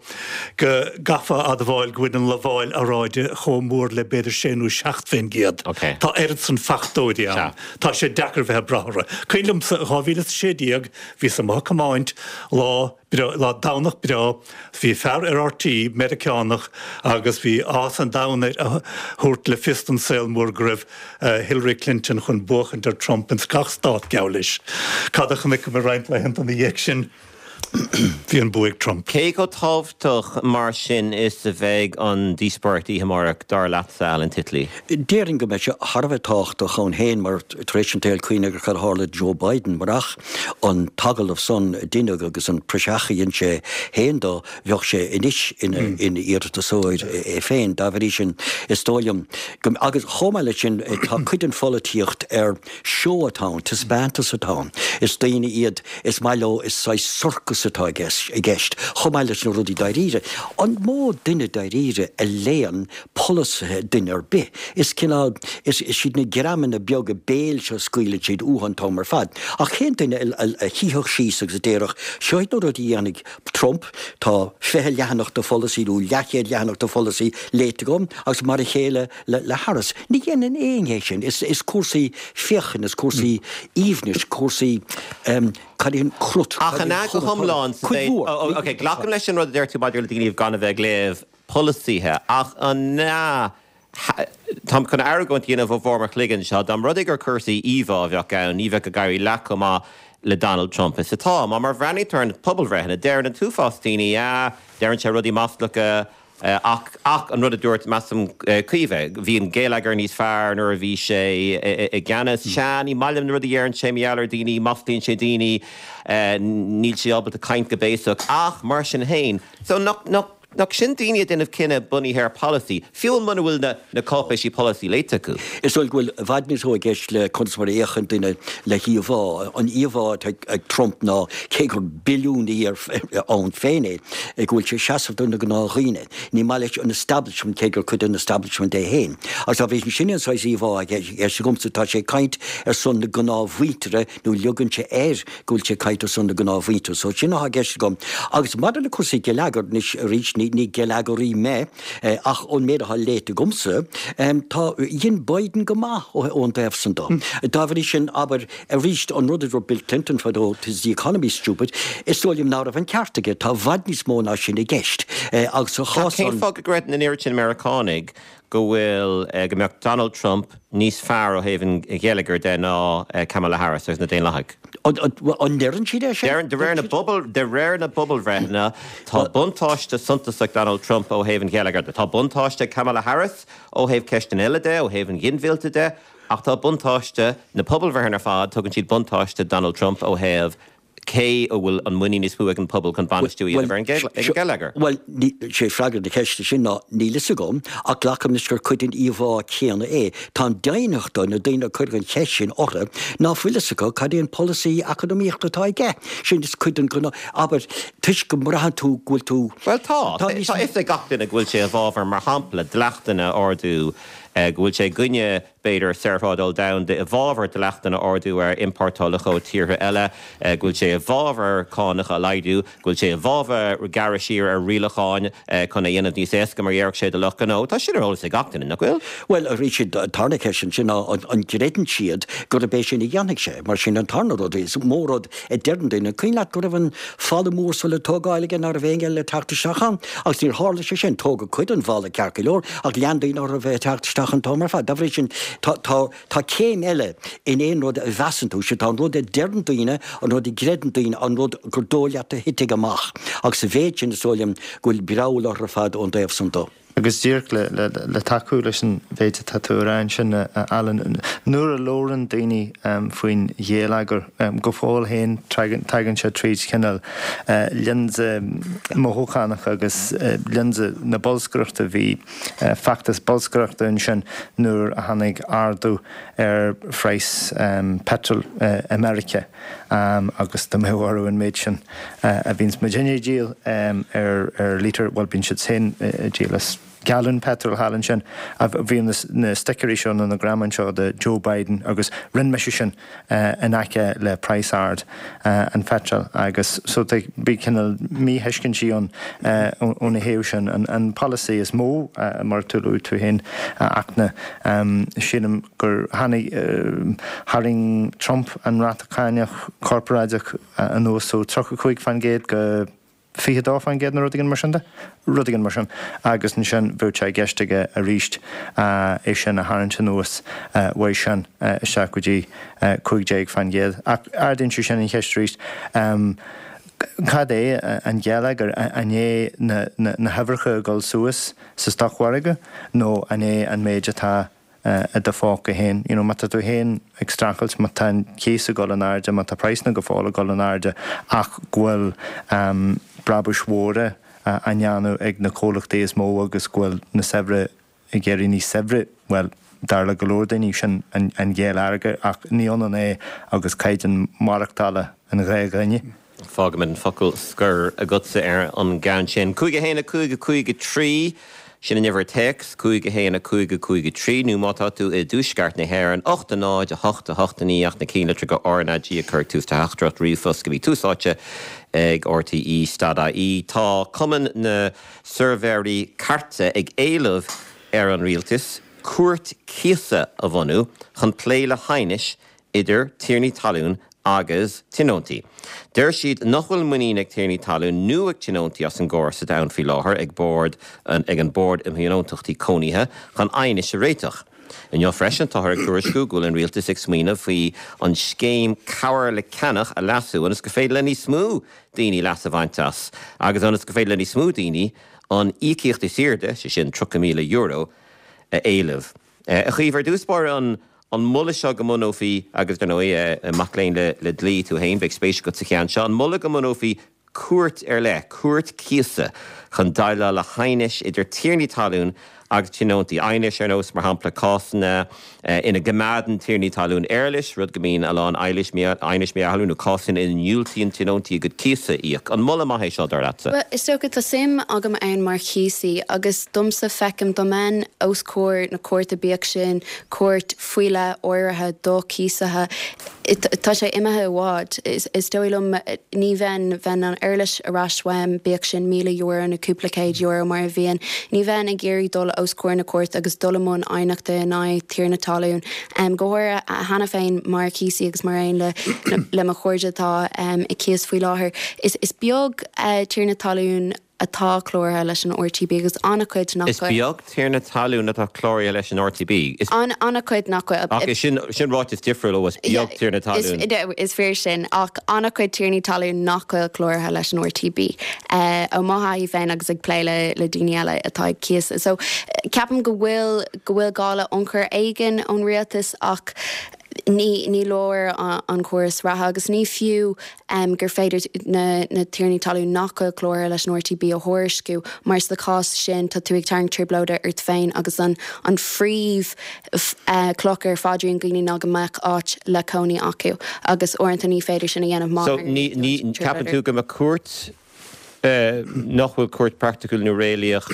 go gcaithfeá admháil go bhfuil an lamháil earráide chomh mór le b'fhéidir sé nó 7%. Tá oiread san fachtóirí ann. Tá sé deacair bheith ag brath orthu. Cuimhin liomsa, 2016, bhíos amuigh ag tiomáint lá, breá, lá Domhnach breá, bhí fear ar RTÉ, Meiriceánach, agus bhí áthas an domhain air a thabhairt le fios don saol mór go raibh Hillary Clinton chun buachaint ar Trump ins gach stát, geall leis. Cad a chonaiceamar roinnt laethanta ina dhiaidh sin? Bhí an bua ag Trump. Cé chomh tábhachtach mar sin is a bheidh an díospóireacht oíche amárach, dar leatsa, Alan Titley? Déarfainn go mbeidh sé thar a bheith tábhachtach ann féin mar tar éis an tsaoil cuimhnigh ar cad a tharla do Joe Biden, murach an t-agallamh san a deineadh agus an praiseach a dhein sé féin dó, bheadh sé anois ina iarratasóir é féin. Dá bhrí sin, is dóigh liom go, agus chomh maith leis sin, tá cuid den pholaitíocht ar seó atá ann, taispeántas atá ann. Is daoine iad is maith leo, is saghas sorcas atá i gceist, chomh maith leis na rudaí dáiríre. An mó duine dáiríre a léann polasaithe duine ar bith. Is cineál, is iad na greamanna beaga béil seo a scaoileann siad uathu an t-am ar fad. Ach cén duine a shuífeadh síos agus a déarfadh, seo iad na rudaí a dhéanfaidh Trump, tá 20 leathanach de pholasaí nó leathchéad leathanach de pholasaí léite agam agus mar a chéile le Harris. Ní dhéanann éinne é sin. Is cúrsaí féachana, is cúrsaí aoibhnis, cúrsaí, cad é an crut, Ach an ea go hiomlán sa Cuid mhór. Ok, glacaim leis an rud a deir tú maidir le daoine gan a bheith ag léamh polasaithe, ach an ea, táim chun argóint a dhéanamh ó bharr mo chloigeann anseo, dá mba rud é gur cúrsaí íomhá a bheadh ann, ní bheadh ag éirí leath chomh maith le Donald Trump is atá. Má mar bhreathnaítear ar na pobalbhreitheanna, deireann an t-uafás daoine, ah, deireann sé rudaí maslacha, ach, ach an rud a dúirt, measaim, Caoimhe, bhí an geilleagar níos fearr nuair a bhí sé i gceannas. Sea, ní maith liom na rudaí a dheireann sé mar gheall ar daoine, maslaíonn sé daoine, níl sé ábalta caint go béasach, ach mar sin féin, so nach, nach, Nach sin daoine ag déanamh cinneadh bunaithe ar polasaí, fiú muna bhfuil na na cáipéisí polasaí léite acu? Is dóigh go bhfuil i bhfad níos mó i gceist le conas mar a fhéachann duine le híomhá. An íomhá atá ag Trump ná, cé gur billiúnaí ann féin é, go bhfuil sé ag seasamh do na gnáthdhaoine. Ní maith leis an establishment, cé gur cuid den establishment é féin. Agus dá bhrí sin, sin é an saghas íomhá atá i gceist agamsa. Tá sé ag caint ar son na gnáthmhuintire nó leogann sé air go bhfuil sé ag caint ar son na gnáthmhuintire. So sin atá i gceist agam. Agus maidir le cúrsaí geilleagair, anois arís, ní, ní geilleagaraí mé, ach ón méid atá léite agamsa, tá, dhein Biden go maith ó, ón dtaobh san de. Dá bhrí sin, abair, arís, an rud a dúirt Bill Clinton fadó, 'tis the economy, stupid, is dóigh liom ná raibh an ceart aige. Tá i bhfad níos mó ná sin i gceist. Agus sa chás san. Cén fáth go gcreideann an oiread sin Meiriceánaigh go bhfuil, go mbeadh Donald Trump níos fearr ó thaobh an gheilleagair de ná Kamala Harris agus na Daonlathaigh. An ndeireann siad é sin? Deireann, de réir na bpobal, de réir na bpobalbhreitheanna, tá buntáiste suntasach Donald Trump ó thaobh an gheilleagair de. Tá buntáiste ag Kamala Harris ó thaobh ceisteanna eile de, ó thaobh an ghinmhillte de, ach tá buntáiste, na pobalbhreitheanna ar fad, tugann siad buntáiste Donald Trump ó thaobh cé a bhfuil an muinín is mó ag an pobal chun bainistiú a dhéanamh ar an gheilleagar? Bhuel, sé freagra na ceiste sin ná níl fhios agam, ach glacaim leis gur cuid den íomhá chéanna é. Tá an deimhneacht do na daoine a cuireadh an cheist sin orthu ná fuil fhios acu cad é an polasaí eacnamaíochta atá aige. Sin is cuid den ghnáth, abair, toisc go mbraitheann tú go bhfuil tú. Bhuel tá. Tá a fhios ag gach duine go bhfuil sé i bhfabhar, mar shampla, dleachtanna a ardú, go bhfuil sé i gcoinne b'fhéidir, saorthrádáil domhanda i bhfabhar dleachtanna a ardú ar iompórtálacha ó tíortha eile, go bhfuil sé i bhfabhar cánacha a laghdú, go bhfuil sé i bhfabhar gearradh siar ar rialacháin chun é a dhéanamh níos éasca, mar a déarfadh sé, do lucht gnó. Tá sin ar eolas ag gach duine, nach bhfuil? Bhuel, arís, an tarna ceist ansin ná an gcreideann siad gurb é sin a dhéanfaidh sé? Mar sin an tarna rud, is mó rud a deireann duine, cuimhin leat go raibh an falla mór so le tógáil aige ná raibh éinne eile le teacht isteach ann? Agus níor tharla sé sin. Tógadh cuid den bhalla ceart go leor, ach lean daoine orthu a bheith ag teacht isteach an t-am ar fad. Dá bhrí sin, tá, tá, tá céim eile in aon rud a mheasann tú. Sea, tá an rud a deireann daoine, an rud a gcreideann daoine, an rud gur dóigh leat a thitfidh amach. Agus sa mhéid sin, is dóigh liom go bhfuil breall orthu ar fad ón dtaobh san de. Agus díreach le tacú leis an mhéid atá tú a rá ansin, a Alan, nuair a labhrann daoine faoin gheilleagar, go fóill féin tagann sé tríd cineál lionsa mothúchánach agus lionsa na bolscaireachta. Bhí feachtas bolscaireachta ansin nuair a tháinig ardú ar phraghas peitril i Meiriceá. Agus dá mbeadh orthu an méid sin a bhíonns muidinne ag díol ar ar lítear, bhuel bíonn siad féin ag díol is. galún peitril thall ansin. Bhí na sticéirí seo nó na greamáin seo de Joe Biden agus rinne mise sin in aice le praghas ard an pheitril agus so bhí cineál míthuiscintí ann óna thaobh sin. An polasaí is mó, mar a luaigh tú féin, a Fhachtna, sílim gur tháinig, tharraing Trump an ráta cánach corparáideach anuas ó 35% go 22% nó rud éigin mar sin de, rud éigin mar sin, agus ansin bheadh sé i gceist aige arís é sin a tharraingt anuas uaidh sin isteach go dtí 15%. Ach ardaíonn sé sin an cheist arís, cad é an geilleagar, an é na huimhreacha ag dul suas sa stocmhargadh nó an é an méid atá i do phóca féin. You know, má tá tú féin ag streachailt, má tá an cíos ag dul in airde, má tá praghsanna go fóill ag dul in airde ach go bhfuil brabúis mhóra á ndéanamh ag na comhlachtaí is mó agus go bhfuil na saibhre ag éirí níos saibhre, bhuel, dar le go leor daoine, sin an geilleagar ach ní ionann é agus caighdeán maireachtála an ghnáthdhuine. Fágfaimid an focal scoir agatsa ar an gceann sin. 5 1 5 5 3, sin an uimhir téacs, 5 1 5 5 3, nó má tá tú i dtuaisceart na hÉireann, 8 0 8 8 9 ach na cinnlitreacha RnaG a chur ag tús do theachtaireacht ríomhphost go dtí Tús Áite ag RTÉ stad IE. Tá Cumann na Suirbhéirí Cairte ag éileamh ar an Rialtas cúirt cíosa a bhunú chun plé le haighnis idir tiarnaí talún agus tionóntaí. Deir siad nach bhfuil muinín ag tiarnaí talún nó ag tionóntaí as an gcóras atá ann faoi láthair ag bord ag an Bord um Thionóntachtaí Cónaithe chun aighnis a réiteach. Inniu freisin táthar ag tuairisciú go bhfuil an rialtas ag smaoineamh faoi an scéim Cabhair le Ceannach a leasú ionas gur féidir le níos mó daoine leas a bhaint as agus ionas gur féidir le níos mó daoine an íocaíocht is airde, sé sin €30,000, a éileamh. A Chaoimhe, ar dtús báire, an an moladh seo go mbunófaí, agus dar ndóigh, mac léinn le dlí tú féin, beidh spéis agat sa cheann seo, an moladh go mbunófaí cúirt ar leith, cúirt cíosa, chun déileáil le haighnis idir tiarnaí talún agus tionóntaí. Aighnis ar nós, mar shampla, cásanna ina gcoimeádann tiarnaí talún éarlais, rud go mbíonn a lán aighnis mar gheall air, nó cásanna ina ndiúltaíonn tionóntaí a gcuid cíosa a íoc. An moladh maith é seo, dar leatsa? Bhuel, is dócha, tá suim agam ann mar chíosaí agus domsa, feicim, dá mbeinn os comhair na cúirte, bíodh sin cúirt faoi leith áirithe do chíosaithe, tá sé imithe i bhfad. Is dóigh liom, ní bheinn, bheinn an éarlais ar ais uaim, bíodh sin €1,000 nó cúpla céad euro mar a bhíonn. Ní bheinn ag iarraidh dul os comhair na cúirte agus dul i mbun aighneachta in aghaidh tiarna talún, go háirithe cheana féin mar chíosaí agus mar aon le le mo chairde atá ag cíos faoi láthair. Is beag tiarna talún atá cláraithe leis an RTB agus an-chuid nach Is beag tiarna talún atá cláraithe leis an RTB. Is. An-chuid nach bhfuil. Ach is sin, sin ráiteas difriúil ó is beag tiarna talún. Is fíor sin, ach an-chuid tiarnaí talún nach bhfuil cláraithe leis an RTB. Ó mo thaithí féin agus ag plé le le daoine eile atá ag cíos. So, ceapaim go bhfuil, go bhfuil gá le ionchur éigin ón rialtas ach ní, ní leor an córas reatha agus ní fiú gur féidir na tiarnaí talún nach bhfuil cláraithe leis an RTB a thuairisciú mar sa chás sin tá tú ag tarraingt trioblóide ort féin agus an an phríomh chloch ar phaidrín daoine ná go mbeadh áit le cónaí acu agus uaireanta ní féidir sin a dhéanamh má So ní ní ceapann tú go mbeadh cúirt nach bhfuil cúirt praiticiúil nó réalaíoch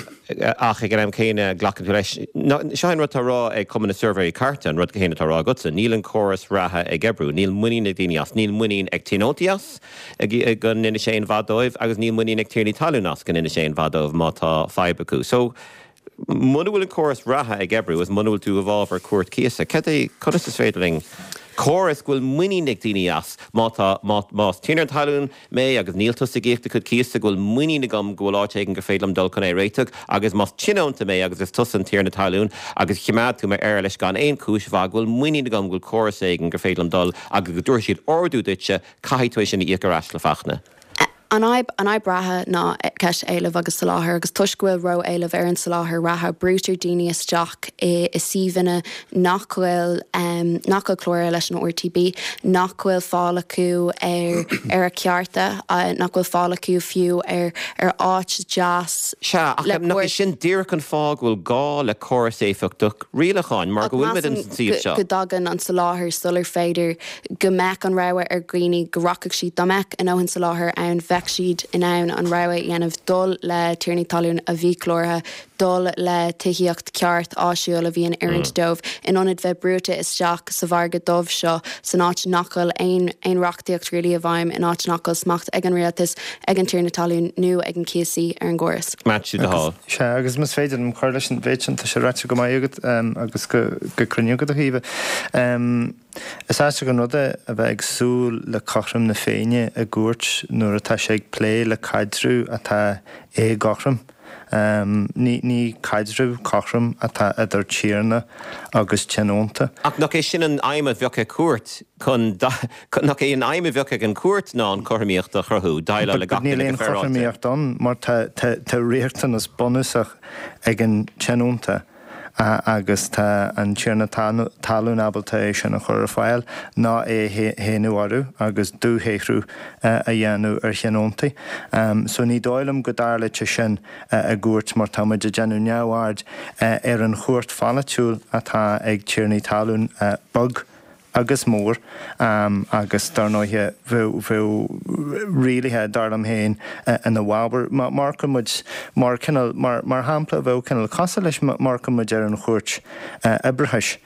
ach ag an am céanna glacann tú leis. Seo é an rud atá á rá ag Cumann na Suirbhéirí Cairte, an rud céanna atá á rá agatsa, níl an córas reatha ag oibriú, níl muinín ag daoine as, níl muinín ag tionóntaí as go ndéanfaidh sé aon mhaith dóibh agus níl muinín ag tiarnaí talún as go ndéanfaidh sé aon mhaith dóibh má tá fadhb acu. So, Muna bhfuil an córas reatha ag oibriú is muna bhfuil tú i bhfabhar cúirt cíosa, cad é, conas is féidir linn córas go bhfuil muinín ag daoine as, má tá, má, más tiarna talún mé agus níl tusa ag íoc do chuid cíosa, go bhfuil muinín agam go bhfuil áit éigin gur féidir liom dul chun é a réiteach agus más tionónta mé agus is tusa an tiarna talún agus choimeád tú m'éarlais gan aon chúis mhaith, go bhfuil muinín agam go bhfuil córas éigin gur féidir liom dul agus go dtabharfaidh siad ordú duitse, caithfidh tú é sin a íoc ar ais le Fachtna. An fhadhb, an fhadhb reatha ná ceist éilimh agus soláthair agus toisc go bhfuil ró-éileamh ar an soláthar reatha, brúitear daoine isteach i suíomhanna nach bhfuil, nach bhfuil cláraithe leis an RTB, nach bhfuil fáil acu ar, ar a cearta, nach bhfuil fáil acu fiú ar, ar áit deas Sea, ach le nach é sin díreach an fáth go bhfuil gá le córas éifeachtach rialacháin, mar go bhfuilimid ins an suíomh seo. Go dtagann an soláthar sular féidir go mbeadh an rogha ar dhaoine go rachadh siad, dá mbeadh a ndóthain soláthair ann, bheadh siad in ann an rogha a dhéanamh dul le tiarnaí talún a bhí cláraithe. dul le tithíocht ceart áisiúil a bhí in oiriúint dóibh in ionad bheith brúite isteach sa mhargadh dubh seo san áit nach bhfuil aon aon reachtaíocht really i bhfeidhm, in áit nach bhfuil smacht ag an rialtas, ag an tiarna talún nó ag an cíosaí ar an gcóras. Maitiú de Hál. Sea, agus más féidir liom cur leis an mhéid sin, tá sé ráite go maith agat agus go cruinn agat a Chaoimhe. Is aisteach an rud é a bheith ag súil le cothrom na Féinne i gcúirt nuair atá sé ag plé le caidreamh atá éagothrom. Ní caidreamh cothrom atá idir tiarna agus tionónta. Ach nach é sin an aidhm a bheadh ag cúirt chun, nach é an aidhm a bheadh ag an chúirt ná an chothromaíocht a chruthú, déileáil le gach duine go Níl aon féaráilte? chothromaíocht ann mar tá riachtanas bunúsach ag an tionónta. agus tá an tiarna talún ábalta é sin a chur ar fáil ná é a shéanadh orthu agus dúshaothrú a dhéanamh ar thionóntaí. So ní dóigh liom go dtarlóidh sé sin i gcúirt mar tá muid ag déanamh neamhaird ar an chumhacht pholaitiúil atá ag tiarnaí talún beag agus mór agus dar ndóighe bheadh rialuithe, dar liom féin, ina bhfabhar. Má amharcann muid mar cineál, mar shampla, bheadh cineál cosúil leis má amharcann muid ar an Chúirt Oibreachais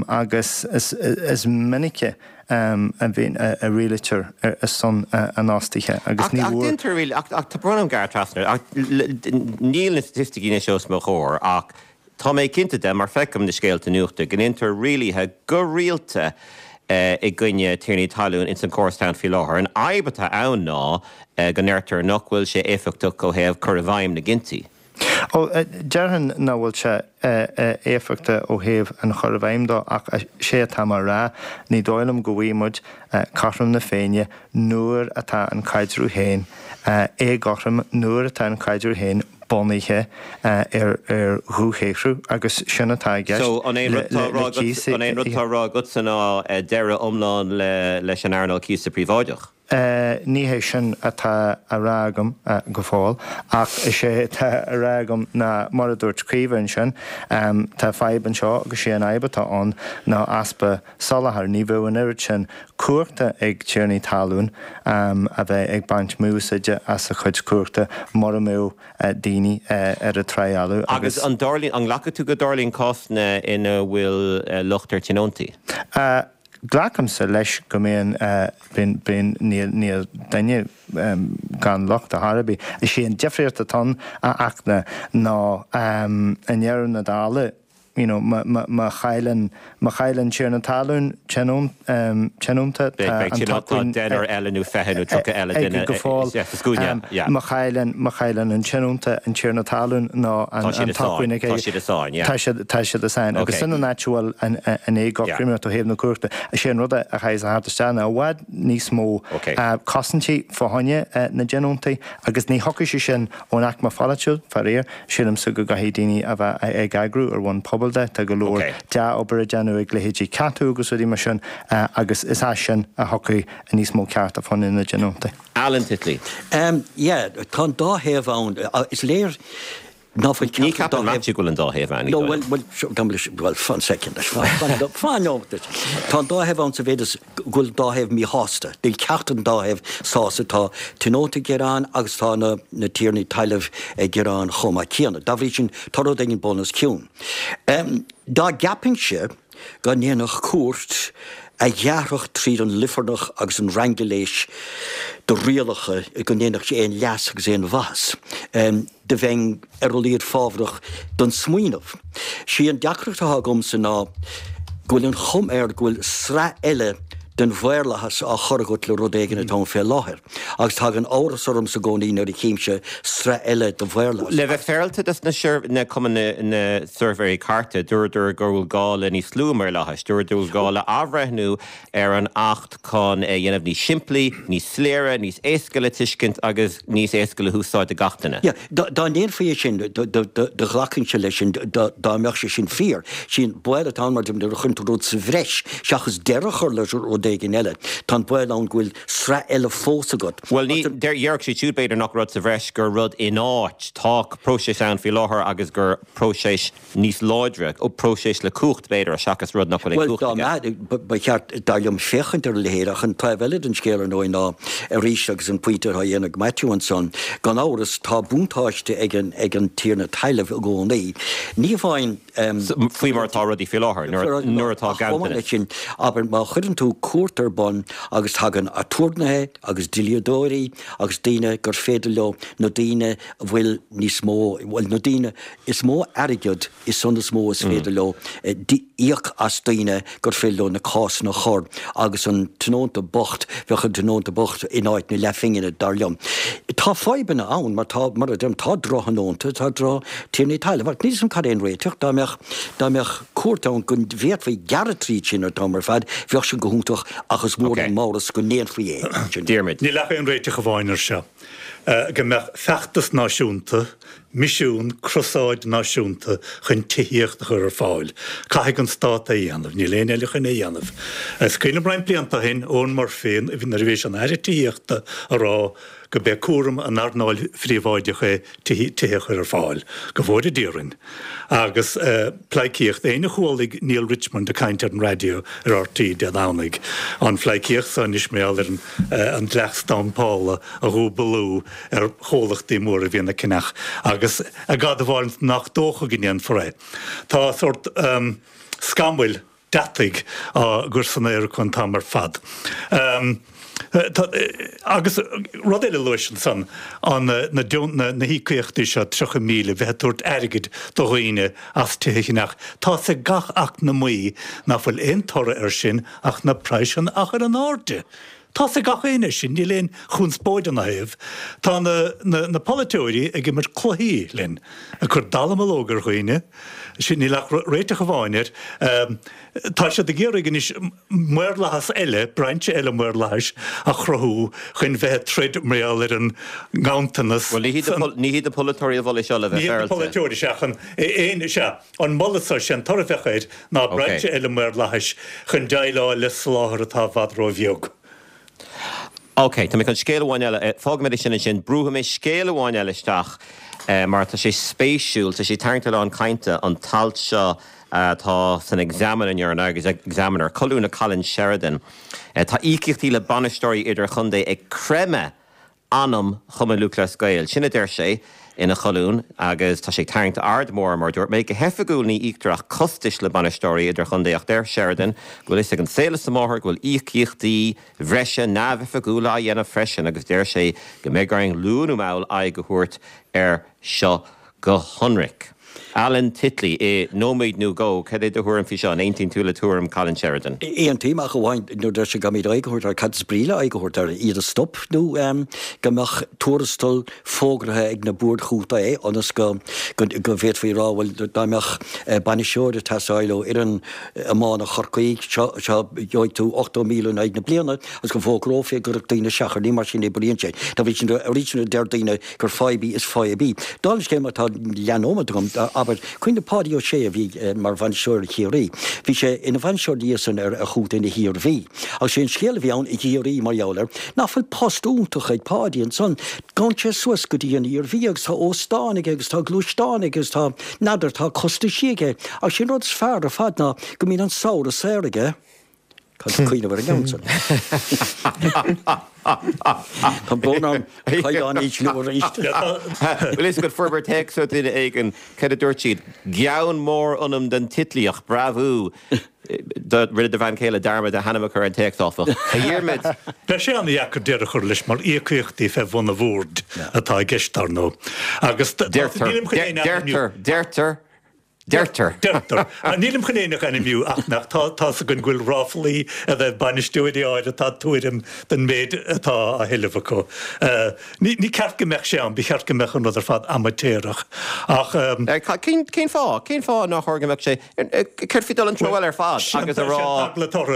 agus is minice a bhíonn, a rialaítear ar son an fhostaithe agus ní Ach déantar riail, ach tá brón orm gearradh trasna, ach níl na staitisticí anois os mo chomhair ach Tá mé cinnte de, mar feicim na scéalta nuachta, go ndéantar rialuithe go rialta i gcoinne tiarnaí talún ins an córas atá ann faoi láthair. An fhadhb atá ann ná go ndeirtear nach bhfuil sé éifeachtach ó thaobh cur i bhfeidhm na gcinntí. Ó, déarfainn nach bhfuil sé éifeachtach ó thaobh an chur i bhfeidhm dó ach sé atá mé a rá, ní dóigh liom go bhfaighidh muid cothrom na Féinne nuair atá an caidreamh féin éagothrom, nuair atá an caidreamh féin bunaithe ar dhúshaothrú agus sin atá i gceist So, an é an le rud atá á rá agat, cíosaí. an é an rud atá á rá agatsa ná deireadh iomlán leis an earnáil cíosa príobháideach? Ní hé sin atá á rá agam go fóill, ach is é atá á rá agam ná, mar a dúirt Caoimhe ansin, tá fadhb anseo agus sé an fhadhb atá ann ná easpa soláthair. Ní bheadh an oiread sin cumhachta ag tiarnaí talún a bheith ag baint mí-úsáide as a chuid cumhachta mura mbeadh daoine ar an trá fholamh Agus agus. an dtarlaíonn, an nglacfaidh tú go dtarlaíonn cásanna ina bhfuil locht ar tionóntaí? Glacaimse leis go mbíonn, bíonn, bíonn, níl, níl duine gan locht ar chor ar bith. Is é an difríocht atá ann, a Fhachtna, ná i ndeireadh na dála, you know, má chailleann, má chailleann tiarna talún tionónta, tá an t-acmhainn Tá deichniúr eile nó 20 nó 30 eile aige duine go fóill. sa scuaine, yeah. Má chailleann, má chailleann an tionónta an tiarna talún nó an Tá siad i sáinn, t-acmhainn aige. tá siad i sáinn, yeah. Tá siad, tá siad i sáinn. Agus Okay. sin an áit a bhfuil an, an éagothromaíocht ó thaobh na cumhachta. Is é an rud a chaithfeas a theacht isteach ná i bhfad níos mó Okay. cosaintí fá choinne na dtionóntaí agus ní thiocfaidh sé sin ón aicme pholaitiúil, faraor. Sílimse go gcaithfidh daoine a bheith ag eagrú ar bhonn pobail de. Tá go leor dea-obair á déanamh ag leithéidí CATU agus rudaí mar sin agus is as sin a thiocfaidh níos mó cearta fá choinne na dtionóntaí. Alan Titley. Yeah, tá an dá thaobh ann. Is léir ná fuil Ní ceachtar dá cheapann thaobh. Matthew go bhfuil an dá thaobh ann, ní No, dóigh bhuel, liom. bhuel, seo, gabh mo leithscéal, bhuel, fan soicind leis, fan, fan, fan nóiméad leis. Tá an dá thaobh ann sa mhéid is go bhfuil an dá thaobh míshásta. Níl ceachtar den dá thaobh sásta. Tá tionóntaí ag gearán agus tá na na tiarnaí talaimh ag gearán chomh maith céanna. Dá bhrí sin, tá rud éigin bun os cionn. Dá gceapfainnse go ndéanfadh cúirt a ghearrfadh tríd an luifearnach agus an raingiléis de rialacha go ndéanfadh sé aon leas agus aon mhaitheas, do bheinn ar a laghad fábhrach don smaoineamh. Sí an deacracht atá agamsa ná go bhfuil an chuma air go bhfuil sraith eile den mhaorlathas á chur agat le rud éigin atá ann fé láthair. Agus tagann amhras ormsa i gcónaí nuair a chímse sraith eile de mhaorlathas. Le bheith féaráilte dos na Cumann na Suirbhéirí Cairte, dúradar go bhfuil gá le níos lú maorlathais. Dúradar go bhfuil gá le athbhreithniú ar an Acht chun é a dhéanamh níos simplí, níos soiléire, níos éasca le tuiscint agus níos éasca le húsáid do gach duine. Yeah, dá ndéanfaí é sin, do ghlacfainnse leis sin, dá mbeadh sé sin fíor. Sí an baol atá ann, mar nuair a chuireann tú rud sa bhreis, seachas deireadh a chur le rud éigin. éigin eile. Tá an baol ann go bhfuil sraith eile fós agat. Bhuel, ní, déarfadh siad siúd b'fhéidir nach rud sa bhreis, gur rud in áit. Tá próiseas ann faoi láthair agus gur próiseas níos láidre, próiseas le cumhacht b'fhéidir, seachas rud nach bhfuil aon chumhacht aige. Bhuel, dá mba, ba cheart, dar liom, féachaint ar a leithéid ach an taobh eile den scéal, ar ndóigh, ná arís agus an pointe atá á dhéanamh ag Maitiú ansan, gan amhras, tá buntáiste ag an, ag an tiarna talaimh i gcónaí. Ní amháin. Faoi mar atá rudaí faoi láthair, nuair atá ganntanas. Chomh maith leis sin, abair, má chuireann tú cúirt ar bun agus tagann aturnaetha agus dlíodóirí agus daoine gur féidir leo na daoine a bhfuil níos mó, bhuel, na daoine is mó airgead is san is mó is féidir leo íoc as daoine gur féidir leo na cásanna a chur agus an tionónta bocht, bheadh an tionónta bocht in áit na leathphingine, dar liom. Tá fadhbanna ann mar tá, mar a deirim, tá drochthionónta, tá droch-thiarnaí talaimh ach níl 'fhios a'm cad é an réiteach. Dá mbeadh, dá mbeadh cúirt ann go bhféadfaí gearradh tríd sin an t-am ar fad, bheadh sin go hiontach ach is mór an t-amhras go ndéanfaí é. Diarmuid. Níl ach aon réiteach amháin ar seo, go mbeadh feachtas náisiúnta, misiún, crosáid náisiúnta chun tithíocht a chur ar fáil. Caithfidh an Stát é a dhéanamh. Níl éinne eile chun é a dhéanamh. Is cuimhin liom roinnt blianta ó shin, Eoghan Murphy, nuair a bhí sé ina Aire Tithíochta, a rá go b'é cúram an earnáil phríobháideach é tithe a chur ar fáil. Go bhfóire Dia orainn. Agus pleidhcíocht. Éinne a chualaigh Neale Richmond ag caint ar an raidió ar RTÉ Dé Domhnaigh, an phleidhcíocht so anois mar gheall ar an dleacht stampála a dhúbalú ar chomhlachtaí móra a bhíonn ag ceannach agus ag admháil nach dócha go ndéanfar é. Tá sórt scamaill deataigh á gcur san aer acu an t-am ar fad. Agus rud eile a luais ansan, an na híocaíochtaí seo, 30,000, bheith ag tabhairt airgid do dhaoine as tithe a cheannach, tá's ag gach eacnamaí nach bhfuil aon toradh air sin ach na praghsanna a chur in airde. Tá's ag gach éinne sin, níl aon chonspóid ina thaobh. Tá na na polaiteoirí ag imirt cluichí linn, ag cur dallamullóg ar dhaoine, sin, níl ach réiteach amháin air. Tá siad ag iarraidh anois maorlathas eile, brainse eile maorlathais a chruthú chun bheith ag troid mar gheall ar an nganntanas. Bhuel, ní hiad ní hiad na polaiteoirí a mhol é seo le bheith féaráilte. Ní hiad na polaiteoirí, sea, ach an aon, sea. An moladh so, sé an toradh a bheadh air ná brainse eile maorlathais chun déileáil le soláthar atá i bhfad ró-bheag. Ok, tá mé chun scéal amháin eile, fágfaimid é sin ansin, brúfaidh mé scéal amháin eile isteach mar tá sé spéisiúil, tá sé ag tarraingt a lán cainte, an t-alt seo atá san Examiner inniu, an Examiner, colún le Colin Sheridan. Tá íocaíochtaí le bainisteoirí idirchontae ag creimeadh anam Chumann Lúthchleas Gael. Sin a deir sé ina cholún agus tá sé ag tarraingt aird mhór, mar a dúirt mé. Go hoifigiúil ní íoctar ach costais le bainisteoirí idirchontae ach deir Sheridan go bhfuil fhios ag an saol is a máthair go bhfuil íocaíochtaí bhreise neamhoifigiúla á dhéanamh freisin agus deir sé go mbeidh orainn luath nó mall aghaidh a thabhairt air seo go hionraic. Alan Titley, i nóiméad nó dhó, cad é do thuairim faoi seo? An aontaíonn tú le tuairim Colin Sheridan? Aontaím, ach amháin nuair a deir sé go gcaithfimid aghaidh a thabhairt air, cad is brí le aghaidh a thabhairt air? Iad a stop nó go mbeadh tuarastal fógraithe ag na boird chontae ionas go go bhféadfaí a rá, bhuel, dá mbeadh bainisteoir ag teastáil ó fhoireann iomána Chorcaí, seo, seo, gheobhaidh tú 80,000 in aghaidh na bliana agus go bhfógrófaí go gcuirfeadh daoine isteach air. Ní mar sin a oibríonn sé. Dá bhrí sin, arís nuair a deir daoine gur fadhb í, is fadhb í. Dála an scéil, má tá leathnóiméad agam, abair, cuimhnigh Páidí Ó Sé a bhí mar bhainisteoir ar Chiarraí. Bhí sé ina bhainisteoir ina dhiaidh san ar chontae na hIarmhí. Agus sé an scéal a bhí ann i gCiarraí mar gheall air, nach bhfuil post iontach ag Páidí ansan. Gabhann sé suas go dtí an Iarmhí agus tá óstán aige agus tá gluaisteán aige agus tá, n'fheadar, tá costaisí aige. Agus sé an rud is fearr ar fad ná go mbíonn an samhradh saor aige. Caithfidh tú cuimhneamh ar an gceann san. Tá brón orm caighdeán a ísliú arís. Bhfuil fhios agat fuair mé téacs ó duine éigin, cad a dúirt siad? Gean mór ionam don Titlíoch, bravo! Rinne do bhean chéile dearmad a hainm a chur ar an téacs, áfach. A Dhiarmaid! Beidh sé an-dheacair deireadh a chur leis mar íocaíochtaí fé bhun an bhoird atá i gceist, dar ndóigh. Agus nílim chun aon ainmniú. Deirtear, deirtear, Deirtear. Deirtear. Nílim chun éinne a ainmniú ach nach tá tá's againn go bhfuil ráflaí i dtaobh bainisteoirí áirithe atá tuairim den méid atá á thuilleamh acu. Ní ní ceart go mbeadh sé ann, ba cheart go mbeadh an rud ar fad amaitéarach ach. Cén fáth? Cén fáth nár chóir go mbeadh sé? Céard faoi dul an treo eile ar fad agus a rá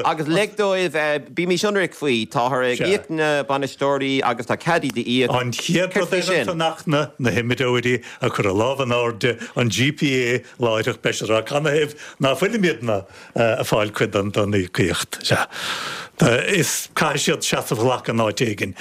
agus lig dóibh, bímís ionraic faoi, táthar ag íoc na bainisteoirí agus tá cead iad a íoc. An chéad rud Céard faoi sin? ansan ach na na himreoirí ag cur a lámh in airde, an GPA láithreach. láithreach beidh siad ag rá canathaobh ná fuilimidne ag fáil cuid den íocaíocht. Sea. Is caithfidh siad seasamh a ghlacadh in áit éigin.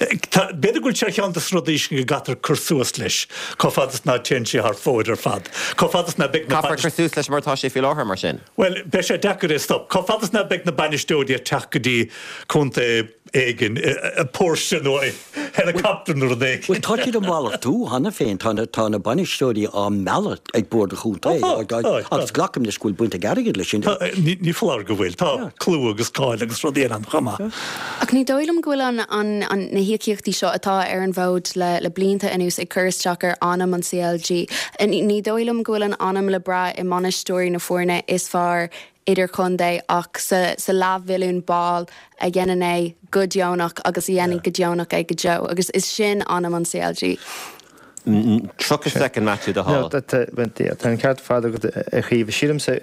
B'fhéidir go bhfuil sé ar cheann de na rudaí sin go gcaithfear cur suas leis, chomh fada is ná téann sé thar fóir ar fad. Chomh fada is ná beidh na Caithfear cur suas leis mar atá sé faoi láthair, mar sin. Bhuel, beidh sé deacair é a stop. Chomh fada is ná beidh na bainisteoirí ag teacht go dtí contae éigin i Porsche nó i helicopter nó rud éigin. Bhuel, tá siad ag malartú cheana féin. Tá na, tá na bainisteoirí á mealladh ag Bord an Chontae. Ó tá, tá, tá. Agus glacaim leis go bhfuil baint ag airgead leis sin. Tá, ní, ní foláir go bhfuil. Tá clú agus cáil agus rudaí eile ann chomh maith. Ach ní dóigh liom go bhfuil an, an, an, na híocaíochtaí seo atá ar an bhfód le, le blianta anuas ag cur isteach ar anam an CLG. Ní, ní dóigh liom go bhfuil an anam le brath i mbainisteoirí na foirne is fearr idirchontae ach sa sa leathmhilliún ball a dhéanann é go deonach agus a dhéanfaidh go deonach é go deo agus is sin anam an CLG. 30 soicind Matthew de Hál. Tá an ceart ar fad agat a Chaoimhe. Sílimse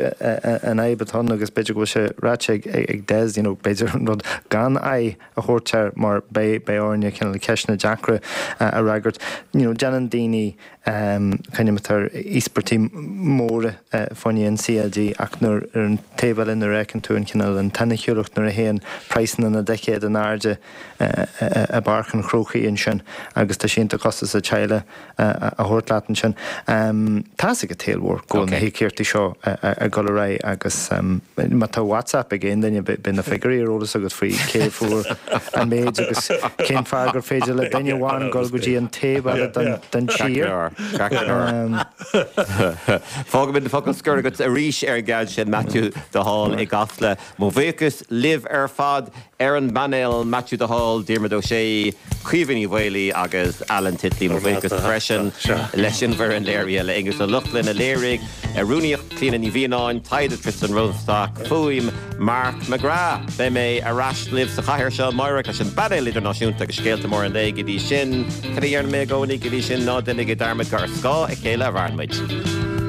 an fhadhb atá ann agus b'fhéidir go bhfuil sé ráite ag Des, you know, b'fhéidir an rud gan aghaidh a thabhairt air mar beidh orainne cineál ceisteanna deacra a fhreagairt. You know, déanann daoine Coinnímid ar íospartaigh móra fá choinne an CLG ach nuair, ar an taobh eile, nuair a fheiceann tú an cineál, an tsoiniciúlacht nuair a théann praghsanna na dticéad in airde i bPáirc an Chrócaigh ansin agus tá sé iontach costasach teaghlach a thabhairt leat ansin. Tá's ag an tsaol mhór go bhfuil na híocaíochtaí seo ag dul ar aghaidh agus má tá WhatsApp ag aon duine beidh na figiúirí ar eolas agat faoi cé a fuair an méid agus cén fáth gur féidir le duine amháin dul go dtí an taobh eile den tír. Fágfaimid an focal scoir agat arís ar an gceann sin, Matthew de Hál i gCasla. Mo bhuíochas libh ar fad ar an bpainéal, Matthew de Hál, Diarmuid Ó Sé, Caoimhe Ní Mhaolaí agus Alan Titley. Mo bhuíochas freisin leis an bhfoireann léirithe, le Aonghus Ó Lochlainn a léirigh, rúnaíocht Clíona Ní Mhianáin, taighde Tristan Rosenstock, fuaim Mark McGrath. Beidh mé ar ais libh sa chathaoir seo amáireach leis an bpainéal idirnáisiúnta agus scéalta móra an lae. Go dtí sin, cad a deireann mé i gcónaí? Go dtí sin, ná déanaigí dearmad gur ar scáth a chéile a mhaireann muid.